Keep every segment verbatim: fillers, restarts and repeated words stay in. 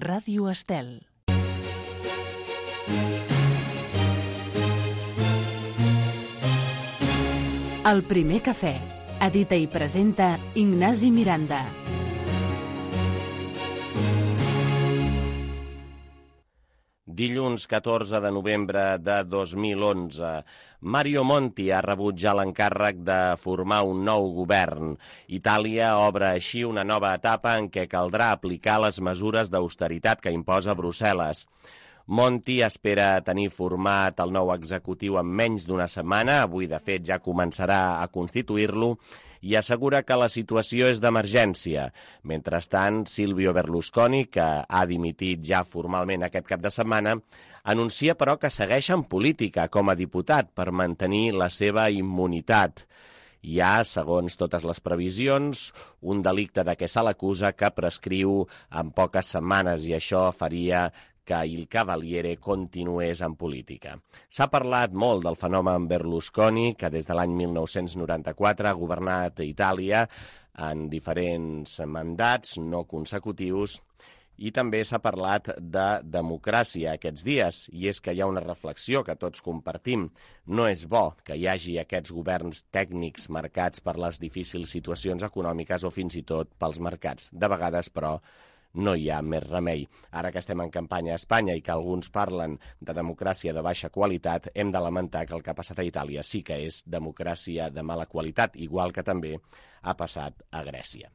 Ràdio Estel. El primer cafè. Edita i presenta Ignasi Miranda. Dilluns catorze de novembre de dos mil onze, Mario Monti ha rebut ja l'encàrrec de formar un nou govern. Itàlia obre així una nova etapa en què caldrà aplicar les mesures d'austeritat que imposa Brussel·les. Monti espera tenir format el nou executiu en menys d'una setmana, avui de fet ja començarà a constituir-lo, i assegura que la situació és d'emergència. Mentrestant, Silvio Berlusconi, que ha dimitit ja formalment aquest cap de setmana, anuncia però que segueix en política com a diputat per mantenir la seva immunitat. Hi ha, segons totes les previsions, un delicte de què se l'acusa que prescriu en poques setmanes i això faria que il Cavaliere continués en política. S'ha parlat molt del fenomen Berlusconi, que des de l'any mil nou-cents noranta-quatre ha governat Itàlia en diferents mandats no consecutius, i també s'ha parlat de democràcia aquests dies, i és que hi ha una reflexió que tots compartim. No és bo que hi hagi aquests governs tècnics marcats per les difícils situacions econòmiques o fins i tot pels mercats. De vegades, però, no hi ha més remei. Ara que estem en campanya a Espanya i que alguns parlen de democràcia de baixa qualitat, hem de lamentar que el que ha passat a Itàlia sí que és democràcia de mala qualitat, igual que també ha passat a Grècia.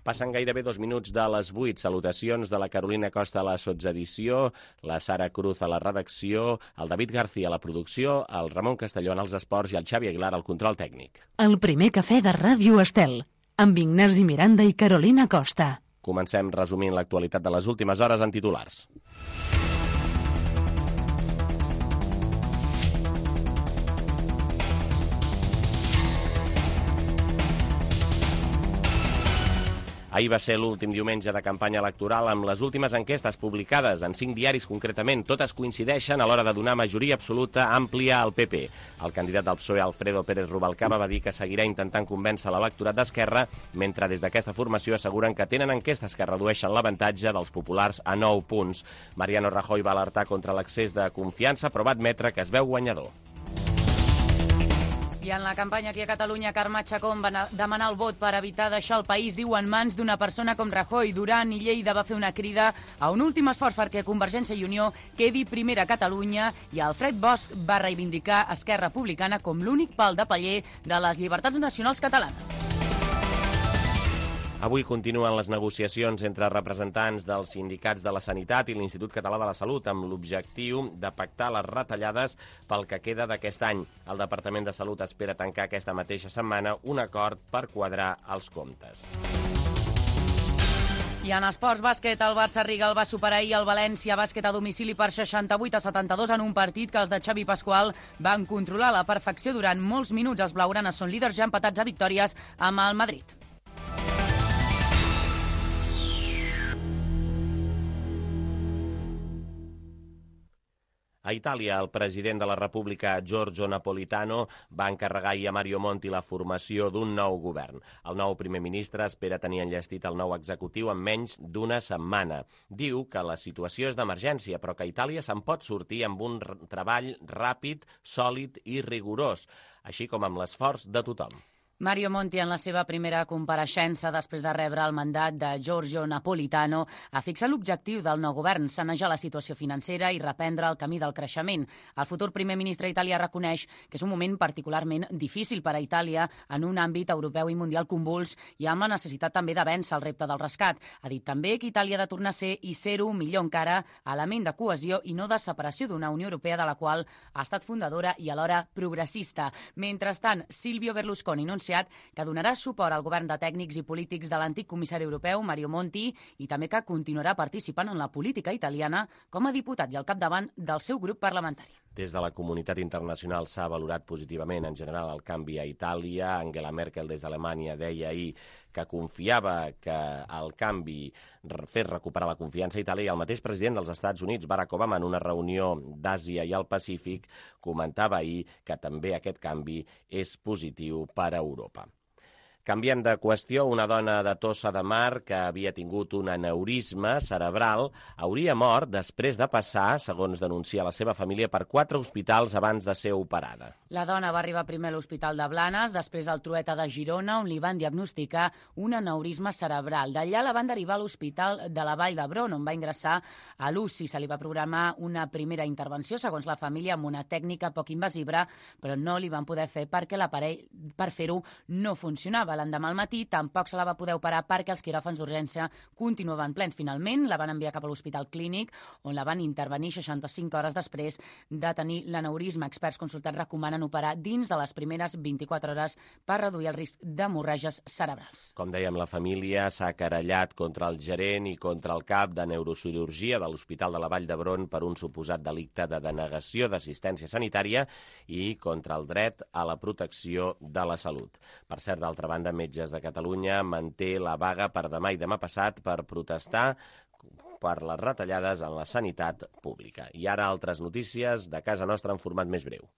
Passen gairebé dos minuts de les vuit. Salutacions de la Carolina Costa a la sotsedició, la Sara Cruz a la redacció, el David García a la producció, el Ramon Castellón als esports i el Xavi Aguilar al control tècnic. El primer cafè de Ràdio Estel, amb Ignasi Miranda i Carolina Costa. Comencem resumint l'actualitat de les últimes hores en titulars. Ahir va ser l'últim diumenge de campanya electoral amb les últimes enquestes publicades en cinc diaris concretament. Totes coincideixen a l'hora de donar majoria absoluta àmplia al P P. El candidat del P S O E, Alfredo Pérez Rubalcaba, va dir que seguirà intentant convèncer l'electorat d'Esquerra, mentre des d'aquesta formació asseguren que tenen enquestes que redueixen l'avantatge dels populars a nou punts. Mariano Rajoy va alertar contra l'excés de confiança, però va admetre que es veu guanyador. I en la campanya aquí a Catalunya, Carme Chacón va demanar el vot per evitar deixar el país, diu, en mans d'una persona com Rajoy. Duran i Lleida va fer una crida a un últim esforç perquè Convergència i Unió quedi primera a Catalunya, i Alfred Bosch va reivindicar Esquerra Republicana com l'únic pal de paller de les llibertats nacionals catalanes. Avui continuen les negociacions entre representants dels sindicats de la Sanitat i l'Institut Català de la Salut amb l'objectiu de pactar les retallades pel que queda d'aquest any. El Departament de Salut espera tancar aquesta mateixa setmana un acord per quadrar els comptes. I en esports bàsquet, el Barça Rigal va superar ahir el València Bàsquet a domicili per seixanta-vuit a setanta-dos en un partit que els de Xavi Pasqual van controlar a la perfecció durant molts minuts. Els blaugranes són líders ja empatats a victòries amb el Madrid. A Itàlia, el president de la República, Giorgio Napolitano, va encarregar ahir a Mario Monti la formació d'un nou govern. El nou primer ministre espera tenir enllestit el nou executiu en menys d'una setmana. Diu que la situació és d'emergència, però que Itàlia se'n pot sortir amb un treball ràpid, sòlid i rigorós, així com amb l'esforç de tothom. Mario Monti, en la seva primera compareixença després de rebre el mandat de Giorgio Napolitano, ha fixat l'objectiu del nou govern, sanejar la situació financera i reprendre el camí del creixement. El futur primer ministre italià reconeix que és un moment particularment difícil per a Itàlia en un àmbit europeu i mundial convuls i amb la necessitat també de vèncer el repte del rescat. Ha dit també que Itàlia ha de tornar a ser, i ser-ho millor encara, element de cohesió i no de separació d'una Unió Europea de la qual ha estat fundadora i alhora progressista. Mentrestant, Silvio Berlusconi anuncia que donarà suport al govern de tècnics i polítics de l'antic comissari europeu, Mario Monti, i també que continuarà participant en la política italiana com a diputat i al capdavant del seu grup parlamentari. Des de la comunitat internacional s'ha valorat positivament en general el canvi a Itàlia. Angela Merkel des d'Alemanya deia ahir que confiava que el canvi fes recuperar la confiança a Itàlia, i el mateix president dels Estats Units, Barack Obama, en una reunió d'Àsia i el Pacífic, comentava ahir que també aquest canvi és positiu per a Europa. Canviem de qüestió, una dona de Tossa de Mar que havia tingut un aneurisma cerebral hauria mort després de passar, segons denuncia la seva família, per quatre hospitals abans de ser operada. La dona va arribar primer a l'Hospital de Blanes, després al Trueta de Girona, on li van diagnosticar un aneurisma cerebral. D'allà la van derivar a l'Hospital de la Vall d'Hebron, on va ingressar a l'U C I. Se li va programar una primera intervenció, segons la família, amb una tècnica poc invasiva, però no li van poder fer perquè l'aparell per fer-ho no funcionava. L'endemà al matí tampoc se la va poder operar perquè els quiròfans d'urgència continuaven plens. Finalment la van enviar cap a l'Hospital Clínic, on la van intervenir seixanta-cinc hores després de tenir l'aneurisma. Experts consultats recomanen operar dins de les primeres vint-i-quatre hores per reduir el risc d'hemorràgies cerebrals. Com dèiem, la família s'ha querellat contra el gerent i contra el cap de neurocirurgia de l'Hospital de la Vall d'Hebron per un suposat delicte de denegació d'assistència sanitària i contra el dret a la protecció de la salut. Per cert, d'altra banda, Metges de Catalunya manté la vaga per demà i demà passat per protestar per les retallades en la sanitat pública. I ara altres notícies de casa nostra en format més breu.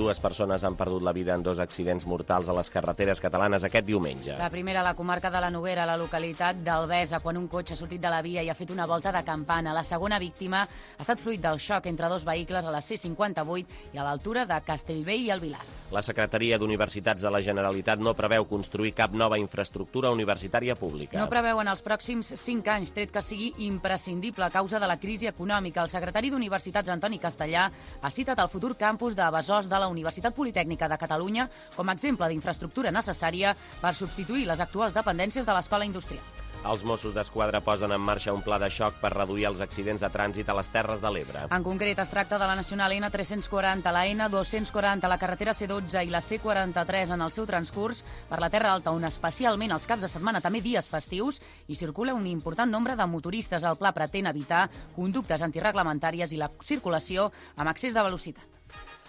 Dues persones han perdut la vida en dos accidents mortals a les carreteres catalanes aquest diumenge. La primera a la comarca de la Noguera, a la localitat d'Albesa, quan un cotxe ha sortit de la via i ha fet una volta de campana. La segona víctima ha estat fruit del xoc entre dos vehicles a la C cinquanta-vuit i a l'altura de Castellvell i el Vilar. La Secretaria d'Universitats de la Generalitat no preveu construir cap nova infraestructura universitària pública. No preveu en els pròxims cinc anys, tret que sigui imprescindible a causa de la crisi econòmica. El secretari d'Universitats, Antoni Castellà, ha citat el futur campus de Besòs de la Universitat Politècnica de Catalunya com a exemple d'infraestructura necessària per substituir les actuals dependències de l'Escola Industrial. Els Mossos d'Esquadra posen en marxa un pla de xoc per reduir els accidents de trànsit a les Terres de l'Ebre. En concret, es tracta de la Nacional N tres-cents quaranta, la N dos-cents quaranta, la carretera C dotze i la C quaranta-tres en el seu transcurs per la Terra Alta, on especialment els caps de setmana, també dies festius, hi circula un important nombre de motoristes. El pla pretén evitar conductes antirreglamentàries i la circulació amb excés de velocitat.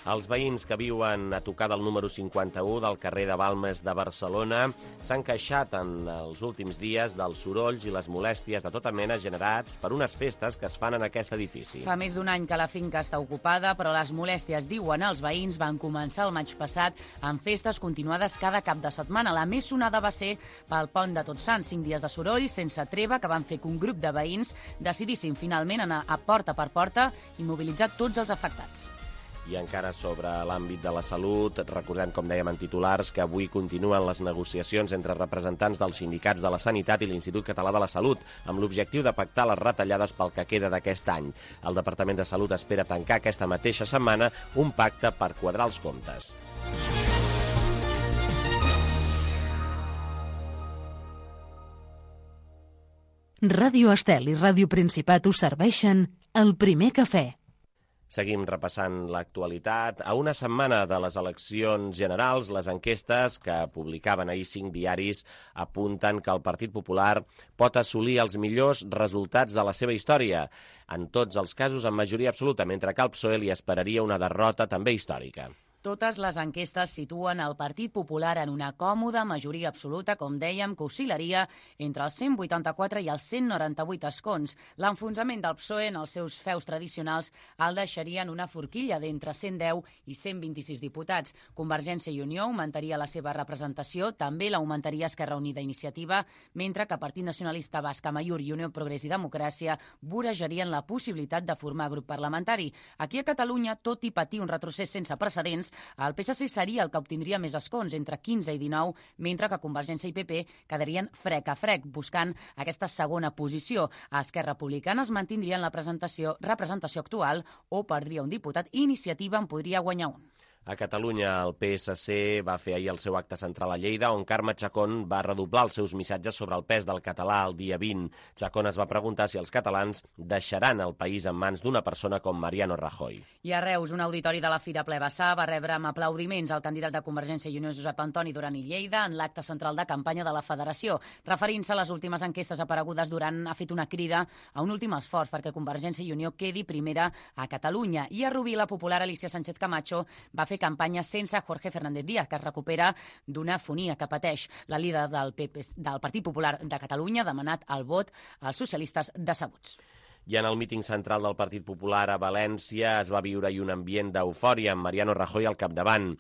Els veïns que viuen a tocar del número cinquanta-u del carrer de Balmes de Barcelona s'han queixat en els últims dies dels sorolls i les molèsties de tota mena generats per unes festes que es fan en aquest edifici. Fa més d'un any que la finca està ocupada, però les molèsties, diuen els veïns, van començar el maig passat amb festes continuades cada cap de setmana. La més sonada va ser pel pont de Tots Sants, cinc dies de soroll sense treva que van fer que un grup de veïns decidissin finalment anar a porta per porta i mobilitzar tots els afectats. I encara sobre l'àmbit de la salut, recordem, com dèiem en titulars, que avui continuen les negociacions entre representants dels sindicats de la Sanitat i l'Institut Català de la Salut, amb l'objectiu de pactar les retallades pel que queda d'aquest any. El Departament de Salut espera tancar aquesta mateixa setmana un pacte per quadrar els comptes. Ràdio Estel i Ràdio Principat us serveixen el primer cafè. Seguim repassant l'actualitat. A una setmana de les eleccions generals, les enquestes que publicaven ahir cinc diaris apunten que el Partit Popular pot assolir els millors resultats de la seva història. En tots els casos, en majoria absoluta, mentre que al P S O E li esperaria una derrota també històrica. Totes les enquestes situen el Partit Popular en una còmoda majoria absoluta, com dèiem, que oscil·laria entre els cent vuitanta-quatre i els cent noranta-vuit escons. L'enfonsament del P S O E en els seus feus tradicionals el deixaria en una forquilla d'entre cent deu i cent vint-i-sis diputats. Convergència i Unió augmentaria la seva representació, també l'augmentaria Esquerra Unida i Iniciativa, mentre que Partit Nacionalista Basc, Amaiur i Unió Progrés i Democràcia vorejarien la possibilitat de formar grup parlamentari. Aquí a Catalunya, tot i patir un retrocés sense precedents, el P S C seria el que obtindria més escons, entre quinze i dinou, mentre que Convergència i P P quedarien frec a frec, buscant aquesta segona posició. A Esquerra Republicana es mantindrien la presentació, representació actual o perdria un diputat i Iniciativa en podria guanyar un. A Catalunya, el P S C va fer ahir el seu acte central a Lleida, on Carme Chacón va redoblar els seus missatges sobre el pes del català el dia vint. Chacón es va preguntar si els catalans deixaran el país en mans d'una persona com Mariano Rajoy. I a Reus, un auditori de la Fira Ple Bassà va rebre amb aplaudiments el candidat de Convergència i Unió, Josep Antoni Duran i Lleida, en l'acte central de campanya de la Federació. Referint-se a les últimes enquestes aparegudes, Duran ha fet una crida a un últim esforç perquè Convergència i Unió quedi primera a Catalunya. I a Rubí, la popular Alicia Sánchez Camacho va fer campanya sense Jorge Fernández Díaz, que es recupera d'una afonia que pateix. La líder del, P P, del Partit Popular de Catalunya ha demanat el vot als socialistes decebuts. I en el míting central del Partit Popular a València es va viure un ambient d'eufòria amb Mariano Rajoy al capdavant.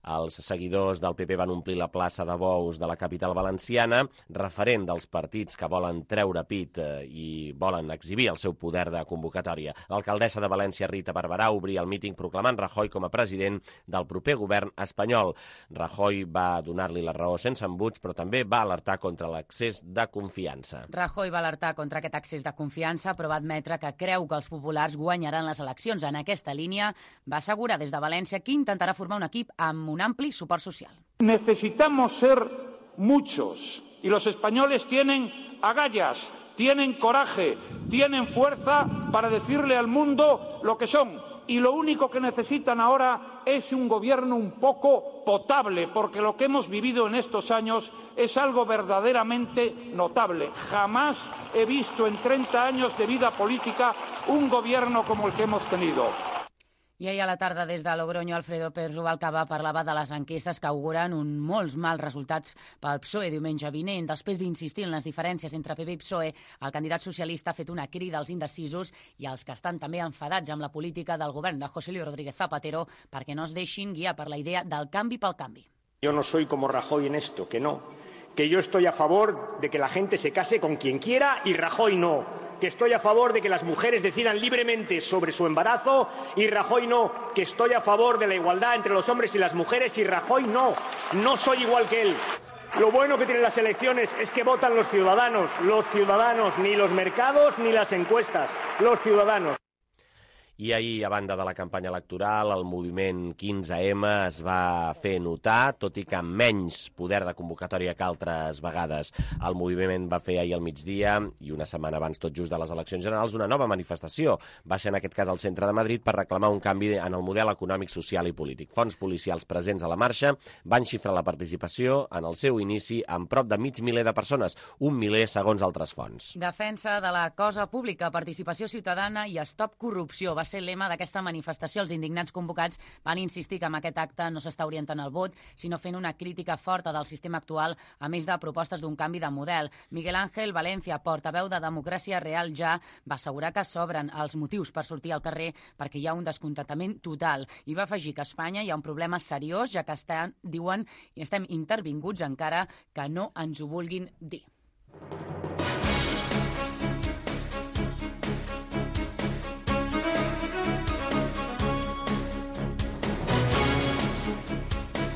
Els seguidors del P P van omplir la plaça de Bous de la capital valenciana, referent dels partits que volen treure pit i volen exhibir el seu poder de convocatòria. L'alcaldessa de València, Rita Barberà, obria el míting proclamant Rajoy com a president del proper govern espanyol. Rajoy va donar-li la raó sense embuts, però també va alertar contra l'excés de confiança. Rajoy va alertar contra aquest excés de confiança, però va admetre que creu que els populars guanyaran les eleccions. En aquesta línia va assegurar des de València que intentarà formar un equip amb un ampli suport social. Necesitamos ser muchos y los españoles tienen agallas, tienen coraje, tienen fuerza para decirle al mundo lo que son. Y lo único que necesitan ahora es un gobierno un poco potable, porque lo que hemos vivido en estos años es algo verdaderamente notable. Jamás he visto en treinta años de vida política un gobierno como el que hemos tenido. I ahir a la tarda, des de Logroño, Alfredo Pérez Rubalcaba parlava de les enquestes que auguren un molts mals resultats pel P S O E diumenge vinent. Després d'insistir en les diferències entre P P i P S O E, el candidat socialista ha fet una crida als indecisos i als que estan també enfadats amb la política del govern de José Luis Rodríguez Zapatero perquè no es deixin guiar per la idea del canvi pel canvi. Yo no soy como Rajoy en esto, que no. Que yo estoy a favor de que la gente se case con quien quiera y Rajoy no. Que estoy a favor de que las mujeres decidan libremente sobre su embarazo y Rajoy no. Que estoy a favor de la igualdad entre los hombres y las mujeres y Rajoy no. No soy igual que él. Lo bueno que tienen las elecciones es que votan los ciudadanos. Los ciudadanos, ni los mercados ni las encuestas. Los ciudadanos. I ahir, a banda de la campanya electoral, el moviment quinze ema es va fer notar, tot i que amb menys poder de convocatòria que altres vegades. El moviment va fer ahir al migdia, i una setmana abans tot just de les eleccions generals, una nova manifestació. Va ser en aquest cas al centre de Madrid per reclamar un canvi en el model econòmic, social i polític. Fonts policials presents a la marxa van xifrar la participació en el seu inici amb prop de mig miler de persones, un miler segons altres fonts. Defensa de la cosa pública, participació ciutadana i stop corrupció va ser el lema d'aquesta manifestació. Els indignats convocats van insistir que amb aquest acte no s'està orientant el vot, sinó fent una crítica forta del sistema actual, a més de propostes d'un canvi de model. Miguel Ángel Valencia, portaveu de Democràcia Real Ja, va assegurar que s'obren els motius per sortir al carrer perquè hi ha un descontentament total i va afegir que a Espanya hi ha un problema seriós, ja que estan, diuen, i estem intervinguts encara que no ens ho vulguin dir.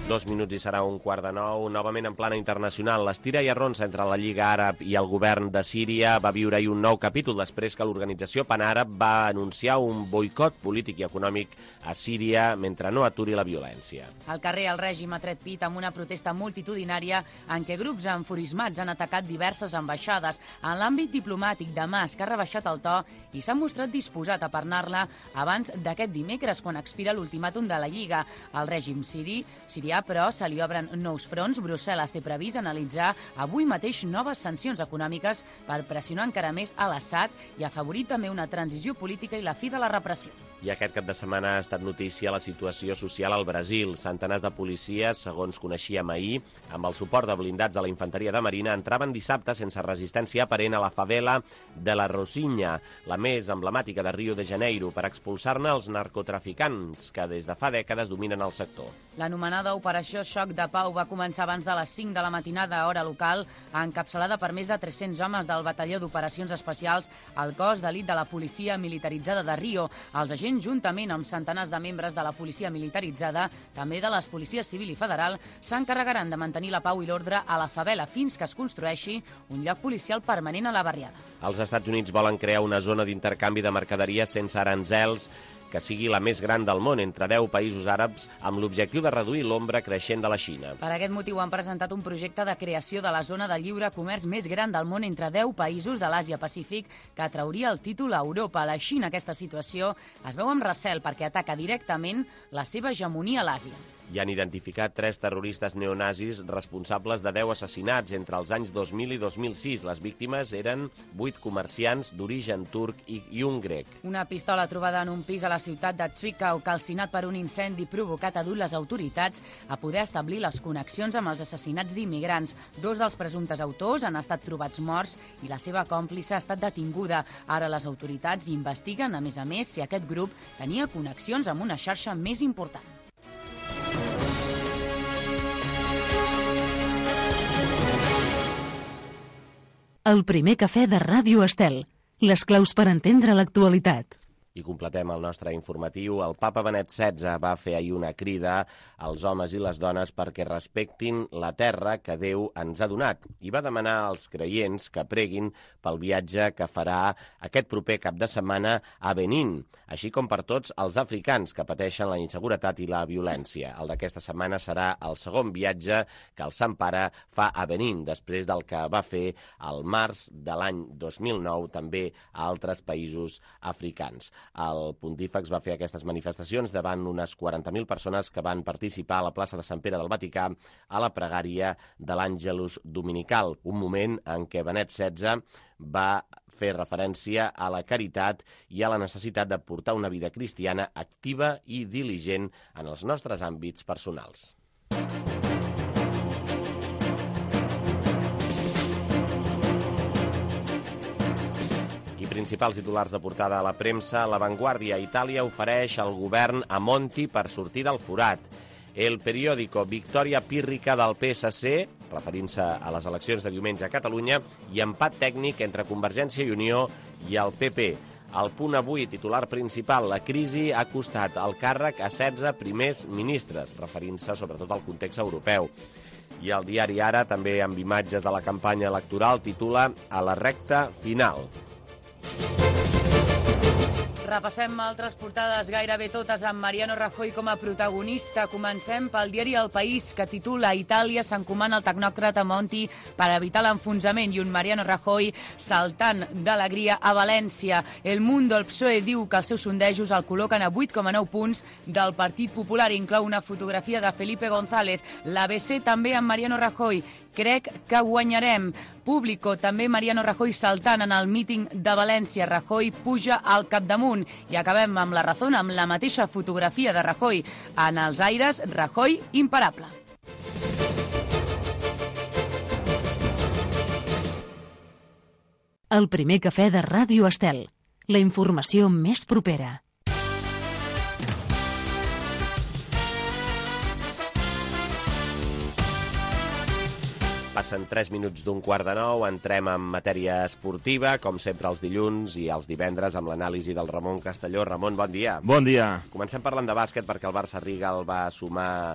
Dos minuts i serà un quart de nou. Novament en plana internacional, l'estira i arronsa entre la Lliga Àrab i el govern de Síria va viure ahir un nou capítol després que l'organització Panàrab va anunciar un boicot polític i econòmic a Síria mentre no aturi la violència. Al carrer el règim ha tret pit amb una protesta multitudinària en què grups enfurismats han atacat diverses ambaixades. En l'àmbit diplomàtic, Damasc ha rebaixat el to i s'ha mostrat disposat a parlar-la abans d'aquest dimecres, quan expira l'ultimàtum de la Lliga. El règim siri, sirià però se li obren nous fronts. Brussel·les té previst analitzar avui mateix noves sancions econòmiques per pressionar encara més a l'Assad i afavorir també una transició política i la fi de la repressió. I aquest cap de setmana ha estat notícia la situació social al Brasil. Centenars de policies, segons coneixíem ahir, amb el suport de blindats de la infanteria de Marina, entraven dissabte sense resistència aparent a la favela de la Rocinha, la més emblemàtica de Rio de Janeiro, per expulsar-ne els narcotraficants que des de fa dècades dominen el sector. L'anomenada Operació Xoc de Pau va començar abans de les cinc de la matinada, hora local, encapçalada per més de tres-cents homes del Batalló d'Operacions Especials al cos d'elit de la policia militaritzada de Rio. Els agents, juntament amb centenars de membres de la policia militaritzada, també de les policies civil i federal, s'encarregaran de mantenir la pau i l'ordre a la favela fins que es construeixi un lloc policial permanent a la barriada. Els Estats Units volen crear una zona d'intercanvi de mercaderies sense aranzels que sigui la més gran del món entre deu països àrabs amb l'objectiu de reduir l'ombra creixent de la Xina. Per aquest motiu han presentat un projecte de creació de la zona de lliure comerç més gran del món entre deu països de l'Àsia-Pacífic que atrauria el títol a Europa. La Xina, aquesta situació, es veu amb recel perquè ataca directament la seva hegemonia a l'Àsia. Hi han identificat tres terroristes neonazis responsables de deu assassinats entre els anys dos mil i dos mil sis. Les víctimes eren vuit comerciants d'origen turc i, i un grec. Una pistola trobada en un pis a la ciutat de Zwickau, calcinat per un incendi provocat, ha dut les autoritats a poder establir les connexions amb els assassinats d'immigrants. Dos dels presumptes autors han estat trobats morts i la seva còmplice ha estat detinguda. Ara les autoritats investiguen, a més a més, si aquest grup tenia connexions amb una xarxa més important. El primer cafè de Ràdio Estel. Les claus per entendre l'actualitat. I completem el nostre informatiu. El papa Benet setze va fer ahir una crida als homes i les dones perquè respectin la terra que Déu ens ha donat i va demanar als creients que preguin pel viatge que farà aquest proper cap de setmana a Benín, així com per tots els africans que pateixen la inseguretat i la violència. El d'aquesta setmana serà el segon viatge que el Sant Pare fa a Benín, després del que va fer al març de l'any dos mil nou també a altres països africans. El pontífex va fer aquestes manifestacions davant unes quaranta mil persones que van participar a la plaça de Sant Pere del Vaticà a la pregària de l'Àngelus Dominical, un moment en què Benet setze va fer referència a la caritat i a la necessitat de portar una vida cristiana activa i diligent en els nostres àmbits personals. Principals titulars de portada a la premsa. La Vanguardia. Itàlia ofereix al govern a Monti per sortir del forat. El periòdico. Victòria pírrica del P S C, referint-se a les eleccions de diumenge a Catalunya, i empat tècnic entre Convergència i Unió i el P P. El Punt Avui, titular principal. La crisi ha costat el càrrec a setze primers ministres, referint-se sobretot al context europeu. I el diari Ara, també amb imatges de la campanya electoral, titula A la recta final. Repassem altres portades, gairebé totes amb Mariano Rajoy com a protagonista. Comencem pel diari El País, que titula Itàlia s'encomana al tecnòcrata Monti per evitar l'enfonsament, i un Mariano Rajoy saltant d'alegria a València. El Mundo, el P S O E, diu que els seus sondejos el col·loquen a vuit coma nou punts del Partit Popular. Inclou una fotografia de Felipe González. L'A B C també amb Mariano Rajoy. Crec que guanyarem. Público, també Mariano Rajoy saltant en el míting de València. Rajoy puja al capdamunt. I acabem amb La Razón, amb la mateixa fotografia de Rajoy en els aires. Rajoy imparable. El primer cafè de Ràdio Estel. La informació més propera. Passen tres minuts d'un quart de nou, entrem en matèria esportiva, com sempre els dilluns i els divendres, amb l'anàlisi del Ramon Castelló. Ramon, bon dia. Bon dia. Comencem parlant de bàsquet perquè el Barça Riga el va sumar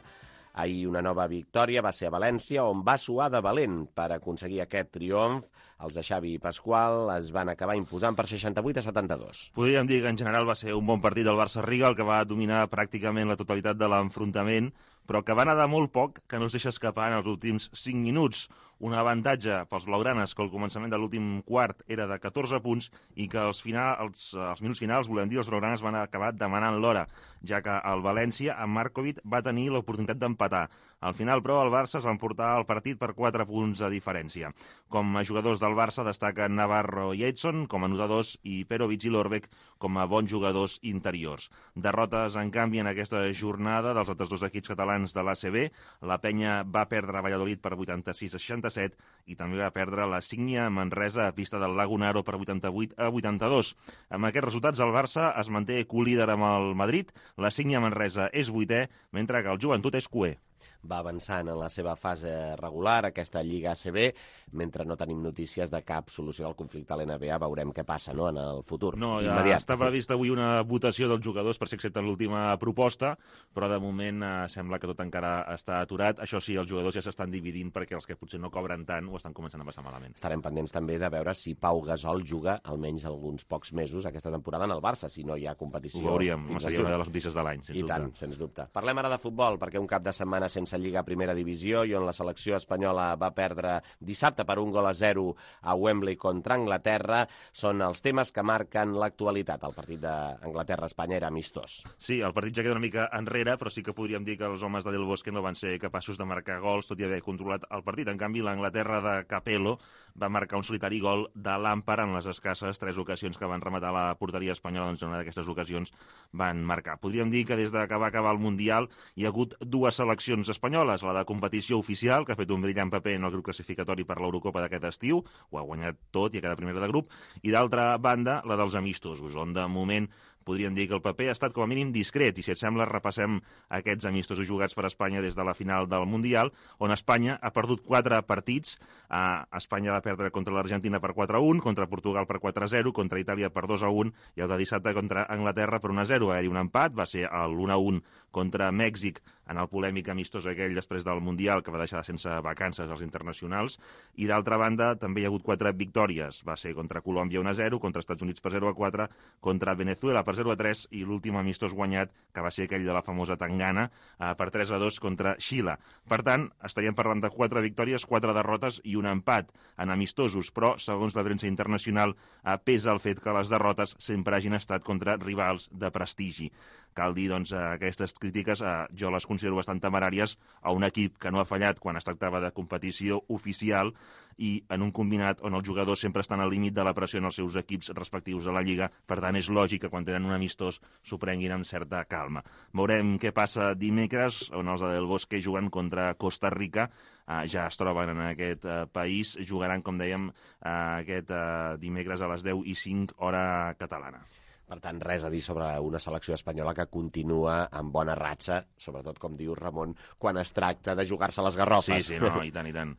ahir una nova victòria, va ser a València, on va suar de valent per aconseguir aquest triomf. Els de Xavi i Pasqual es van acabar imposant per seixanta-vuit a setanta-dos. Podríem dir que en general va ser un bon partit del Barça Riga, el que va dominar pràcticament la totalitat de l'enfrontament, però que va anar de molt poc, que no es deixa escapar en els últims cinc minuts. Un avantatge pels blaugranes que al començament de l'últim quart era de catorze punts i que als, final, als, als minuts finals, volem dir, els blaugranes van acabar demanant l'hora, ja que el València, amb Markovic, va tenir l'oportunitat d'empatar. Al final, però, el Barça es va emportar el partit per quatre punts de diferència. Com a jugadors del Barça destaquen Navarro i Edson com a anotadors i Perovic i Lorbeck com a bons jugadors interiors. Derrotes, en canvi, en aquesta jornada dels altres dos equips catalans de l'A C B. La Penya va perdre a Valladolid per vuitanta-sis a seixanta-set i també va perdre la Sígnia Manresa a pista del Lagunaro per vuitanta-vuit a vuitanta-dos. Amb aquests resultats, el Barça es manté colíder amb el Madrid, la Sígnia Manresa és vuitè, mentre que el Joventut és cuer. va avançant en la seva fase regular, aquesta Lliga A C B, mentre no tenim notícies de cap solució al conflicte a l'N B A. Veurem què passa, no?, en el futur. No, ja immediat. està prevista avui una votació dels jugadors per si accepten l'última proposta, però de moment eh, sembla que tot encara està aturat. Això sí, els jugadors ja s'estan dividint perquè els que potser no cobren tant ho estan començant a passar malament. Estarem pendents també de veure si Pau Gasol juga almenys alguns pocs mesos aquesta temporada en el Barça, si no hi ha competició. Ho veuríem, seria una de les notícies de l'any, sens I dubte. tant, sens dubte. Parlem ara de futbol, perquè un cap de setmana sense Lliga a Primera Divisió i on la selecció espanyola va perdre dissabte per un gol a zero a Wembley contra Anglaterra són els temes que marquen l'actualitat. El partit d'Anglaterra-Espanya era amistós. Sí, el partit ja queda una mica enrere, però sí que podríem dir que els homes de Del Bosque no van ser capaços de marcar gols, tot i haver controlat el partit. En canvi, l'Anglaterra de Capello va marcar un solitari gol de Lampard en les escasses tres ocasions que van rematar la porteria espanyola, doncs en una d'aquestes ocasions van marcar. Podríem dir que des que va acabar el Mundial hi ha hagut dues seleccions espanyoles, la de competició oficial, que ha fet un brillant paper en el grup classificatori per l'Eurocopa d'aquest estiu, ho ha guanyat tot i ha quedat primera de grup, i d'altra banda, la dels amistosos, on de moment podríem dir que el paper ha estat com a mínim discret, i si et sembla repassem aquests amistosos jugats per Espanya des de la final del Mundial, on Espanya ha perdut quatre partits. Uh, Espanya va perdre contra l'Argentina per quatre a un, contra Portugal per quatre a zero, contra Itàlia per dos a un, i el de dissabte contra Anglaterra per un a zero. Va haver-hi un empat, va ser l'un a un contra Mèxic en el polèmic amistós aquell després del Mundial, que va deixar sense vacances als internacionals, i d'altra banda també hi ha hagut quatre victòries. Va ser contra Colòmbia un a zero, contra Estats Units per zero a quatre, contra Venezuela per zero a tres, i l'últim amistós guanyat, que va ser aquell de la famosa Tangana, eh, per tres a dos contra Xile. Per tant, estaríem parlant de quatre victòries, quatre derrotes i un empat en amistosos, però, segons la premsa internacional, eh, pesa el fet que les derrotes sempre hagin estat contra rivals de prestigi. Cal dir, doncs, aquestes crítiques eh, jo les considero bastant temeràries a un equip que no ha fallat quan es tractava de competició oficial i en un combinat on els jugadors sempre estan al límit de la pressió en els seus equips respectius a la Lliga. Per tant, és lògic que quan tenen un amistós s'ho prenguin amb certa calma. Veurem què passa dimecres, on els de Del Bosque juguen contra Costa Rica. Uh, ja es troben en aquest uh, país. Jugaran, com dèiem, uh, aquest uh, dimecres a les deu i cinc, hora catalana. Per tant, res a dir sobre una selecció espanyola que continua amb bona ratxa, sobretot, com diu Ramon, quan es tracta de jugar-se les garrofes. Sí, sí, no, i tant, i tant.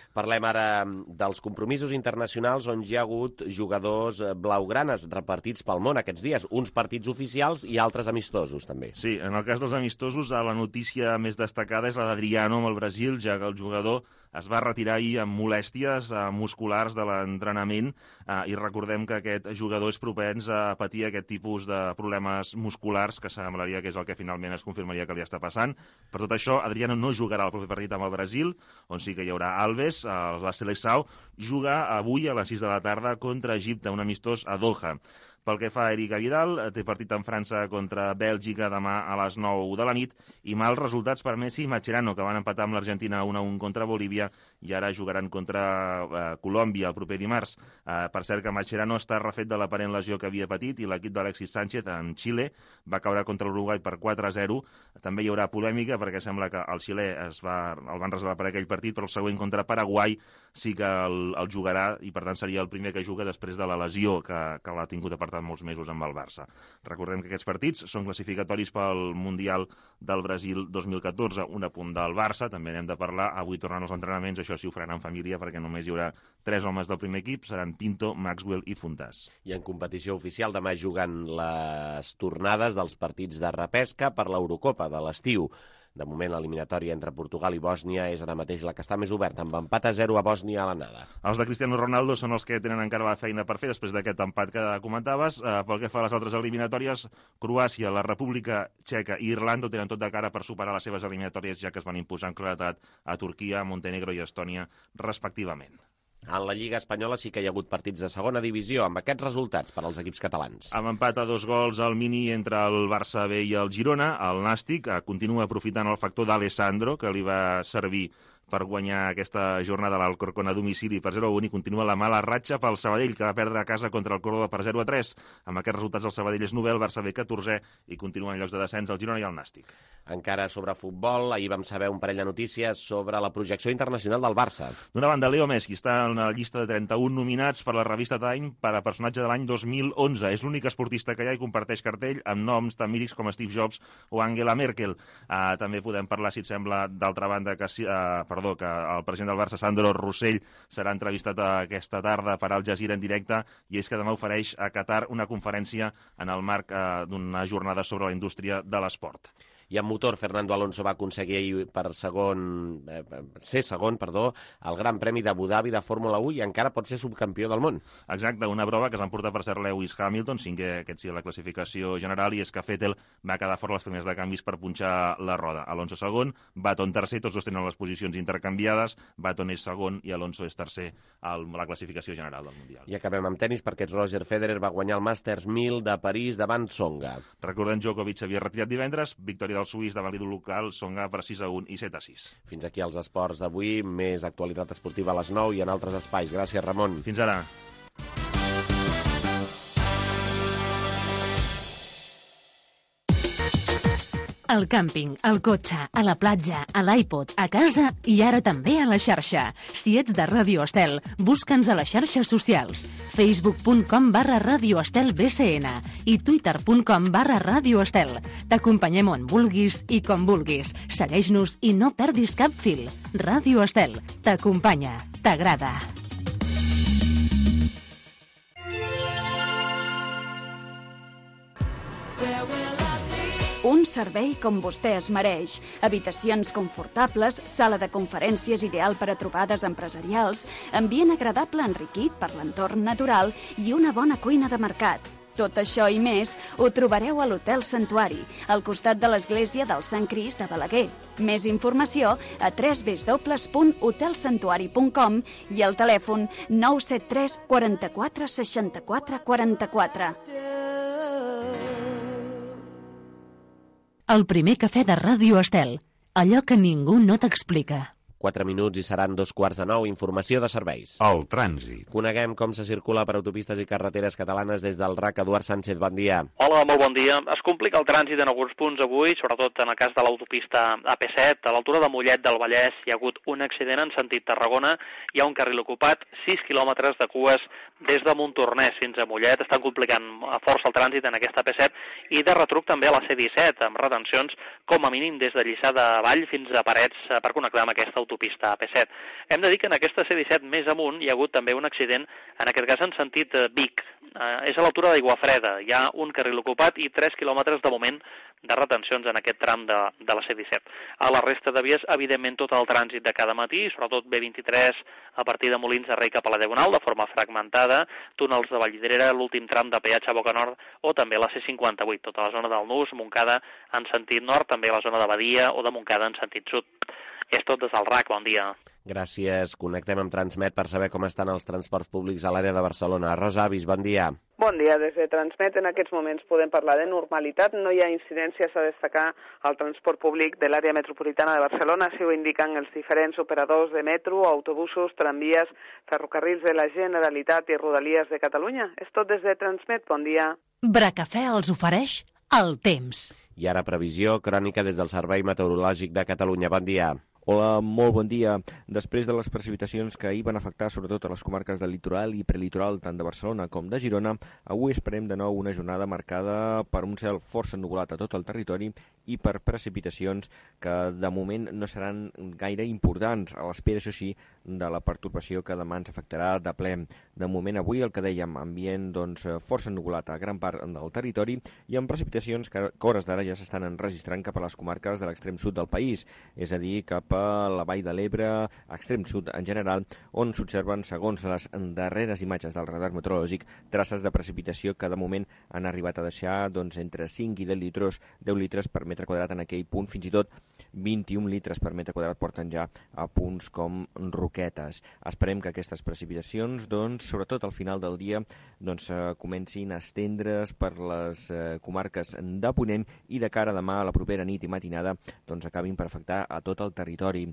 Parlem ara dels compromisos internacionals on hi ha hagut jugadors blaugranes repartits pel món aquests dies, uns partits oficials i altres amistosos, també. Sí, en el cas dels amistosos, la notícia més destacada és la d'Adriano amb el Brasil, ja que el jugador es va retirar ahir amb molèsties eh, musculars de l'entrenament eh, i recordem que aquest jugador és propens a patir aquest tipus de problemes musculars, que semblaria que és el que finalment es confirmaria que li està passant. Per tot això, Adriano no jugarà el proper partit amb el Brasil, on sí que hi haurà Alves. La Seleção juga avui a les sis de la tarda contra Egipte, un amistós a Doha. Pel que fa a Eric Vidal, té partit en França contra Bèlgica demà a les nou de la nit, i mals resultats per Messi i Mascherano, que van empatar amb l'Argentina un a un contra Bolívia i ara jugaran contra eh, Colòmbia el proper dimarts. Eh, per cert que Mascherano està refet de l'aparent lesió que havia patit, i l'equip d'Alexis Sánchez en Xile va caure contra l'Uruguai per quatre a zero. També hi haurà polèmica perquè sembla que el xilè es va, el van reservar per aquell partit, però el següent contra Paraguai sí que el, el jugarà, i per tant seria el primer que juga després de la lesió que, que l'ha tingut apartat molts mesos amb el Barça. Recordem que aquests partits són classificatoris pel Mundial del Brasil dos mil catorze, un a punt del Barça, també n'hem de parlar. Avui tornant als entrenaments, això sí ho faran en família, perquè només hi haurà tres homes del primer equip, seran Pinto, Maxwell i Fontàs. I en competició oficial demà juguen les tornades dels partits de repesca per l'Eurocopa de l'estiu. De moment, l'eliminatòria entre Portugal i Bòsnia és ara mateix la que està més oberta, amb empat a zero a Bòsnia a l'anada. Els de Cristiano Ronaldo són els que tenen encara la feina per fer després d'aquest empat que comentaves. Eh, pel que fa a les altres eliminatòries, Croàcia, la República Txeca i Irlanda ho tenen tot de cara per superar les seves eliminatòries, ja que es van imposar en claretat a Turquia, Montenegro i Estònia, respectivament. En la Lliga Espanyola sí que hi ha hagut partits de segona divisió, amb aquests resultats per als equips catalans. Amb empat a dos gols al mini entre el Barça B i el Girona, el Nàstic continua aprofitant el factor d'Alessandro, que li va servir per guanyar aquesta jornada l'Alcorcón a domicili per zero a un i continua la mala ratxa pel Sabadell, que va perdre a casa contra el Córdoba per zero a tres. Amb aquests resultats el Sabadell és novè, el Barça B catorzè i continua en llocs de descens el Girona i el Nàstic. Encara sobre futbol, ahir vam saber un parell de notícies sobre la projecció internacional del Barça. D'una banda, Leo Messi està en la llista de trenta-un nominats per la revista Time per a personatge de l'any dos mil onze. És l'únic esportista que hi ha i comparteix cartell amb noms tan mítics com Steve Jobs o Angela Merkel. Uh, també podem parlar, si et sembla, d'altra banda, que, uh, perdó, que el president del Barça, Sandro Rossell, serà entrevistat aquesta tarda per Al Jazeera en directe, i és que demà ofereix a Qatar una conferència en el marc uh, d'una jornada sobre la indústria de l'esport. I en motor, Fernando Alonso va aconseguir per segon, eh, ser segon, perdó, el Gran Premi d'Abu Dhabi de Fórmula u i encara pot ser subcampió del món. Exacte, una prova que es van portar per ser Lewis Hamilton, cinquè aquest sí a la classificació general, i és que Vettel va quedar fora les primeres de canvis per punxar la roda. Alonso segon, Button tercer, tots dos tenen les posicions intercanviades, Button és segon i Alonso és tercer a la classificació general del Mundial. I acabem amb tenis perquè Roger Federer va guanyar el Masters mil de París davant Tsonga. Recordem, Djokovic s'havia retirat divendres, victòria del suís davant l'ídol local, Tsonga per sis a un i set a sis. Fins aquí els esports d'avui, més actualitat esportiva a les nou i en altres espais. Gràcies, Ramon. Fins ara. Al càmping, al cotxe, a la platja, a l'iPod, a casa i ara també a la xarxa. Si ets de Ràdio Estel, busca'ns a les xarxes socials. facebook punt com barra Ràdio Estel B C N i twitter punt com barra Ràdio Estel. T'acompanyem on vulguis i com vulguis. Segueix-nos i no perdis cap fil. Ràdio Estel t'acompanya, t'agrada. Un servei com vostè es mereix. Habitacions confortables, sala de conferències ideal per a trobades empresarials, ambient agradable enriquit per l'entorn natural i una bona cuina de mercat. Tot això i més ho trobareu a l'Hotel Santuari, al costat de l'església del Sant Crist de Balaguer. Més informació a w w w punt hotel santuari punt com i al telèfon nou set tres quaranta-quatre seixanta-quatre quaranta-quatre. El primer cafè de Ràdio Estel. Allò que ningú no t'explica. Quatre minuts i seran dos quarts de nou. Informació de serveis. El trànsit. Coneguem com se circula per autopistes i carreteres catalanes des del R A C. Eduard Sánchez, bon dia. Hola, molt bon dia. Es complica el trànsit en alguns punts avui, sobretot en el cas de l'autopista A P set. A l'altura de Mollet del Vallès hi ha hagut un accident en sentit Tarragona. Hi ha un carril ocupat, sis quilòmetres de cues des de Montornès fins a Mollet. Estan complicant força el trànsit en aquesta A P set i de retruc també a la C disset, amb retencions com a mínim des de Lliçà de Vall fins a Parets per connectar amb aquesta autopista A P set. Hem de dir que en aquesta C disset més amunt hi ha hagut també un accident, en aquest cas en sentit Vic. Eh, és a l'altura d'Aiguafreda. Hi ha un carril ocupat i tres quilòmetres de moment de retencions en aquest tram de, de la C disset. A la resta de vies, evidentment, tot el trànsit de cada matí, sobretot B vint-i-tres a partir de Molins de Rei cap a la Diagonal, de forma fragmentada, túnels de Vallvidrera, l'últim tram de peatge a Boca Nord, o també la C cinquanta-vuit, tota la zona del Nus, Montcada en sentit nord, també la zona de Badia o de Montcada en sentit sud. És tot des del R A C, bon dia. Gràcies. Connectem amb Transmet per saber com estan els transports públics a l'àrea de Barcelona. Rosa Avis, bon dia. Bon dia. Des de Transmet en aquests moments podem parlar de normalitat. No hi ha incidències a destacar al transport públic de l'àrea metropolitana de Barcelona. Així ho indiquen els diferents operadors de metro, autobusos, tramvies, ferrocarrils de la Generalitat i Rodalies de Catalunya. És tot des de Transmet. Bon dia. Bracafè els ofereix el temps. I ara previsió crònica des del Servei Meteorològic de Catalunya. Bon dia. Hola, molt bon dia. Després de les precipitacions que ahir van afectar sobretot a les comarques del litoral i prelitoral tant de Barcelona com de Girona, avui esperem de nou una jornada marcada per un cel força ennuvolat a tot el territori i per precipitacions que de moment no seran gaire importants, a l'espera, això sí, de la pertorbació que demà ens afectarà de ple. De moment avui, el que dèiem, ambient doncs, força ennuvolat a gran part del territori i amb precipitacions que a hores d'ara ja s'estan enregistrant cap a les comarques de l'extrem sud del país, és a dir, cap a la Vall de l'Ebre, extrem sud en general, on s'observen, segons les darreres imatges del radar meteorològic, traces de precipitació que de moment han arribat a deixar doncs, entre cinc i deu litres, deu litres per metre quadrat en aquell punt, fins i tot vint-i-un litres per metre quadrat porten ja a punts com Roquetes. Esperem que aquestes precipitacions, doncs, sobretot al final del dia, doncs, eh, comencin a estendre's per les eh, comarques de Ponent i de cara a demà a la propera nit i matinada doncs, acabin per afectar a tot el territori.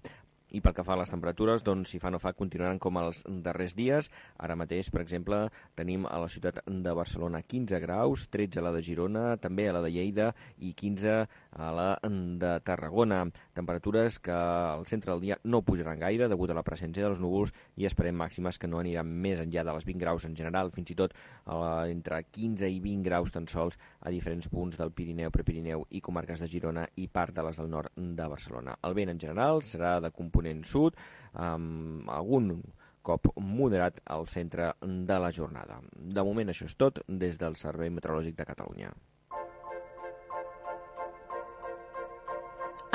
I pel que fa a les temperatures, doncs, si fa no fa, continuaran com els darrers dies. Ara mateix, per exemple, tenim a la ciutat de Barcelona quinze graus, tretze a la de Girona, també a la de Lleida i quinze a la de Tarragona. Temperatures que al centre del dia no pujaran gaire degut a la presència dels núvols i esperem màximes que no aniran més enllà de les vint graus en general, fins i tot entre quinze i vint graus tan sols a diferents punts del Pirineu, Prepirineu i comarques de Girona i part de les del nord de Barcelona. El vent en general serà de component sud, amb algun cop moderat al centre de la jornada. De moment això és tot des del Servei Meteorològic de Catalunya.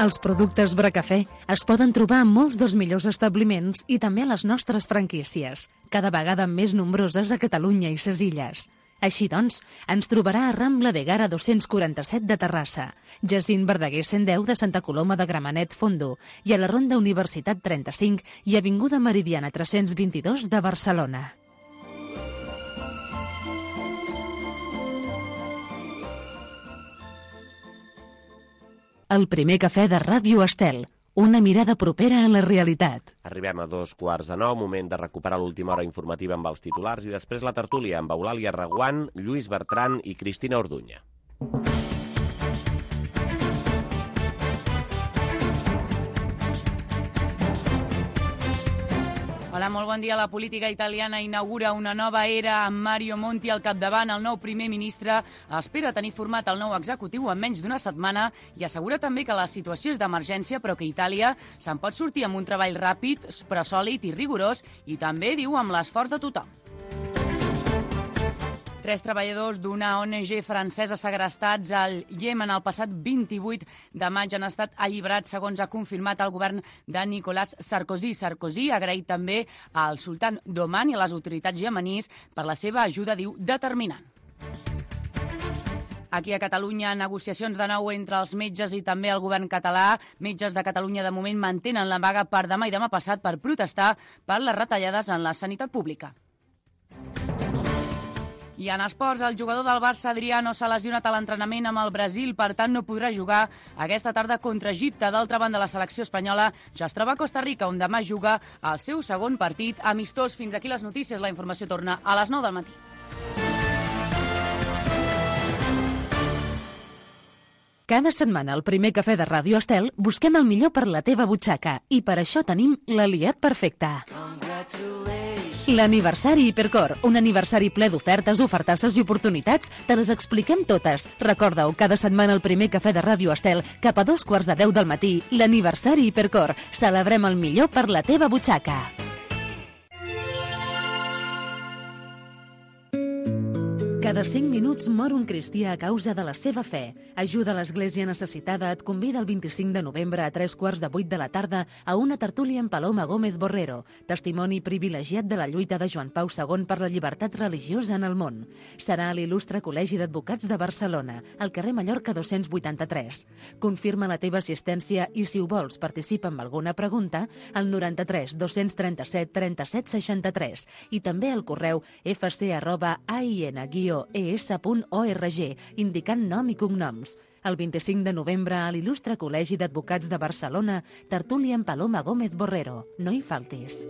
Els productes Bracafé es poden trobar en molts dels millors establiments i també a les nostres franquícies, cada vegada més nombroses a Catalunya i ses Illes. Així doncs, ens trobarà a Rambla de Gara dos-cents quaranta-set de Terrassa, Jacint Verdaguer cent deu de Santa Coloma de Gramenet Fondo i a la Ronda Universitat trenta-cinc i Avinguda Meridiana tres-cents vint-i-dos de Barcelona. El primer cafè de Ràdio Estel, una mirada propera a la realitat. Arribem a dos quarts de nou, moment de recuperar l'última hora informativa amb els titulars i després la tertúlia amb Eulàlia Reguant, Lluís Bertran i Cristina Orduña. Hola, molt bon dia. La política italiana inaugura una nova era amb Mario Monti al capdavant. El nou primer ministre espera tenir format el nou executiu en menys d'una setmana i assegura també que la situació és d'emergència, però que Itàlia se'n pot sortir amb un treball ràpid, però sòlid i rigorós, i també, diu, amb l'esforç de tothom. Tres treballadors d'una O N G francesa segrestats al Iemen el passat vint-i-vuit de maig han estat alliberats, segons ha confirmat el govern de Nicolas Sarkozy. Sarkozy ha agraït també al sultan d'Oman i a les autoritats iemenís per la seva ajuda, diu, determinant. Aquí a Catalunya, negociacions de nou entre els metges i també el govern català. Metges de Catalunya de moment mantenen la vaga per demà i demà passat per protestar per les retallades en la sanitat pública. I en esports, el jugador del Barça, Adriano, s'ha lesionat a l'entrenament amb el Brasil, per tant no podrà jugar aquesta tarda contra Egipte. D'altra banda, la selecció espanyola ja es troba a Costa Rica, on demà juga el seu segon partit amistós. Fins aquí les notícies. La informació torna a les nou del matí. Cada setmana al primer cafè de Ràdio Estel busquem el millor per la teva butxaca i per això tenim l'aliat perfecte. L'aniversari Hipercor, un aniversari ple d'ofertes, ofertasses i oportunitats, te les expliquem totes. Recorda-ho, cada setmana al primer cafè de Ràdio Estel, cap a dos quarts de deu del matí, l'aniversari Hipercor. Celebrem el millor per la teva butxaca. Cada cinc minuts mor un cristià a causa de la seva fe. Ajuda l'Església Necessitada et convida el vint-i-cinc de novembre a tres quarts de vuit de la tarda a una tertúlia amb Paloma Gómez Borrero, testimoni privilegiat de la lluita de Joan Pau segon per la llibertat religiosa en el món. Serà a l'Il·lustre Col·legi d'Advocats de Barcelona, al carrer Mallorca dos-cents vuitanta-tres. Confirma la teva assistència i, si ho vols, participa amb alguna pregunta al noranta-tres dos-cents trenta-set trenta-set seixanta-tres i també al correu f c arroba a i n guió e s punt org, indicant nom i cognoms. El vint-i-cinc de novembre a l'Il·lustre Col·legi d'Advocats de Barcelona, tertúlia amb Paloma Gómez Borrero. No hi faltis.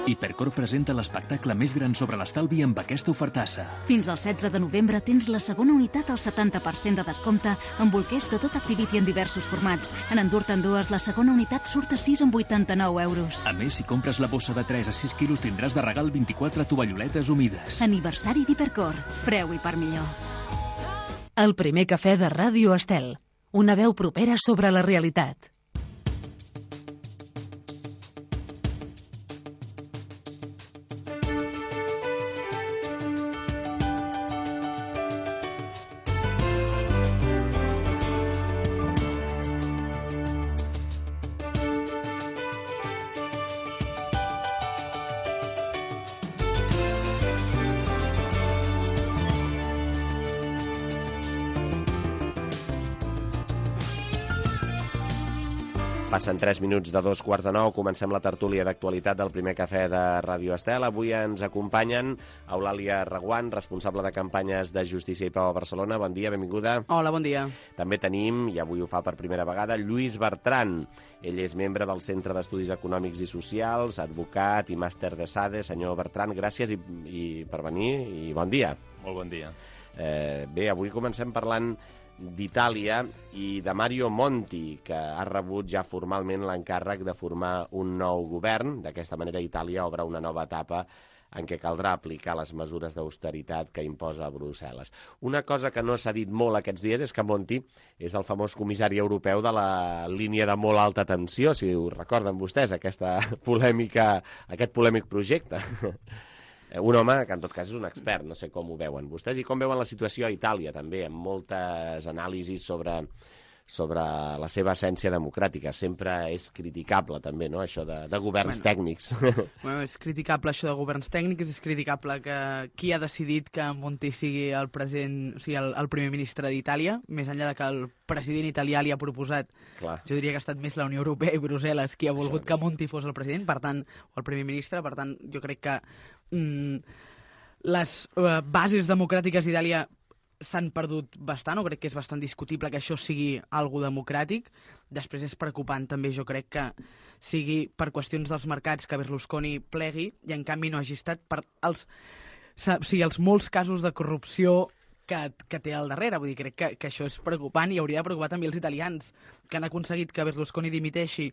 Hipercor presenta l'espectacle més gran sobre l'estalvi amb aquesta ofertassa. Fins al setze de novembre tens la segona unitat al setanta per cent de descompte amb bolquers de tot Activity en diversos formats. En endur-te'n dues, la segona unitat surt a sis coma vuitanta-nou euros. A més, si compres la bossa de tres a sis quilos tindràs de regal vint-i-quatre tovalloletes humides. Aniversari d'Hipercor. Preu i per millor. El primer cafè de Ràdio Estel. Una veu propera sobre la realitat. Passen tres minuts de dos quarts de nou, comencem la tertúlia d'actualitat del primer cafè de Ràdio Estel. Avui ens acompanyen Eulàlia Reguant, responsable de campanyes de Justícia i Pau a Barcelona. Bon dia, benvinguda. Hola, bon dia. També tenim, i avui ho fa per primera vegada, Lluís Bertran. Ell és membre del Centre d'Estudis Econòmics i Socials, advocat i màster de S A D E. Senyor Bertran, gràcies i, i per venir i bon dia. Molt bon dia. Eh, bé, avui comencem parlant d'Itàlia i de Mario Monti, que ha rebut ja formalment l'encàrrec de formar un nou govern. D'aquesta manera, Itàlia obre una nova etapa en què caldrà aplicar les mesures d'austeritat que imposa Brussel·les. Una cosa que no s'ha dit molt aquests dies és que Monti és el famós comissari europeu de la línia de molt alta tensió, si ho recorden vostès, aquesta polèmica, aquest polèmic projecte. Un home que, en tot cas, és un expert, no sé com ho veuen vostès, i com veuen la situació a Itàlia, també, amb moltes anàlisis sobre, sobre la seva essència democràtica. Sempre és criticable, també, no?, això de, de governs bueno, tècnics. Bueno, és criticable això de governs tècnics, és criticable que qui ha decidit que Monti sigui el president, o sigui, el, el primer ministre d'Itàlia, més enllà de que el president italià li ha proposat. Clar. Jo diria que ha estat més la Unió Europea i Brussel·les qui ha volgut això, que Monti fos el president, per tant, o el primer ministre, per tant, jo crec que mm, les uh, bases democràtiques d'Itàlia s'han perdut bastant, o crec que és bastant discutible que això sigui algo democràtic. Després és preocupant també, jo crec que sigui per qüestions dels mercats que Berlusconi plegui i en canvi no hagi estat per els, o sigui, els molts casos de corrupció que, que té al darrere. Vull dir, crec que, que això és preocupant i hauria de preocupar també els italians, que han aconseguit que Berlusconi dimiteixi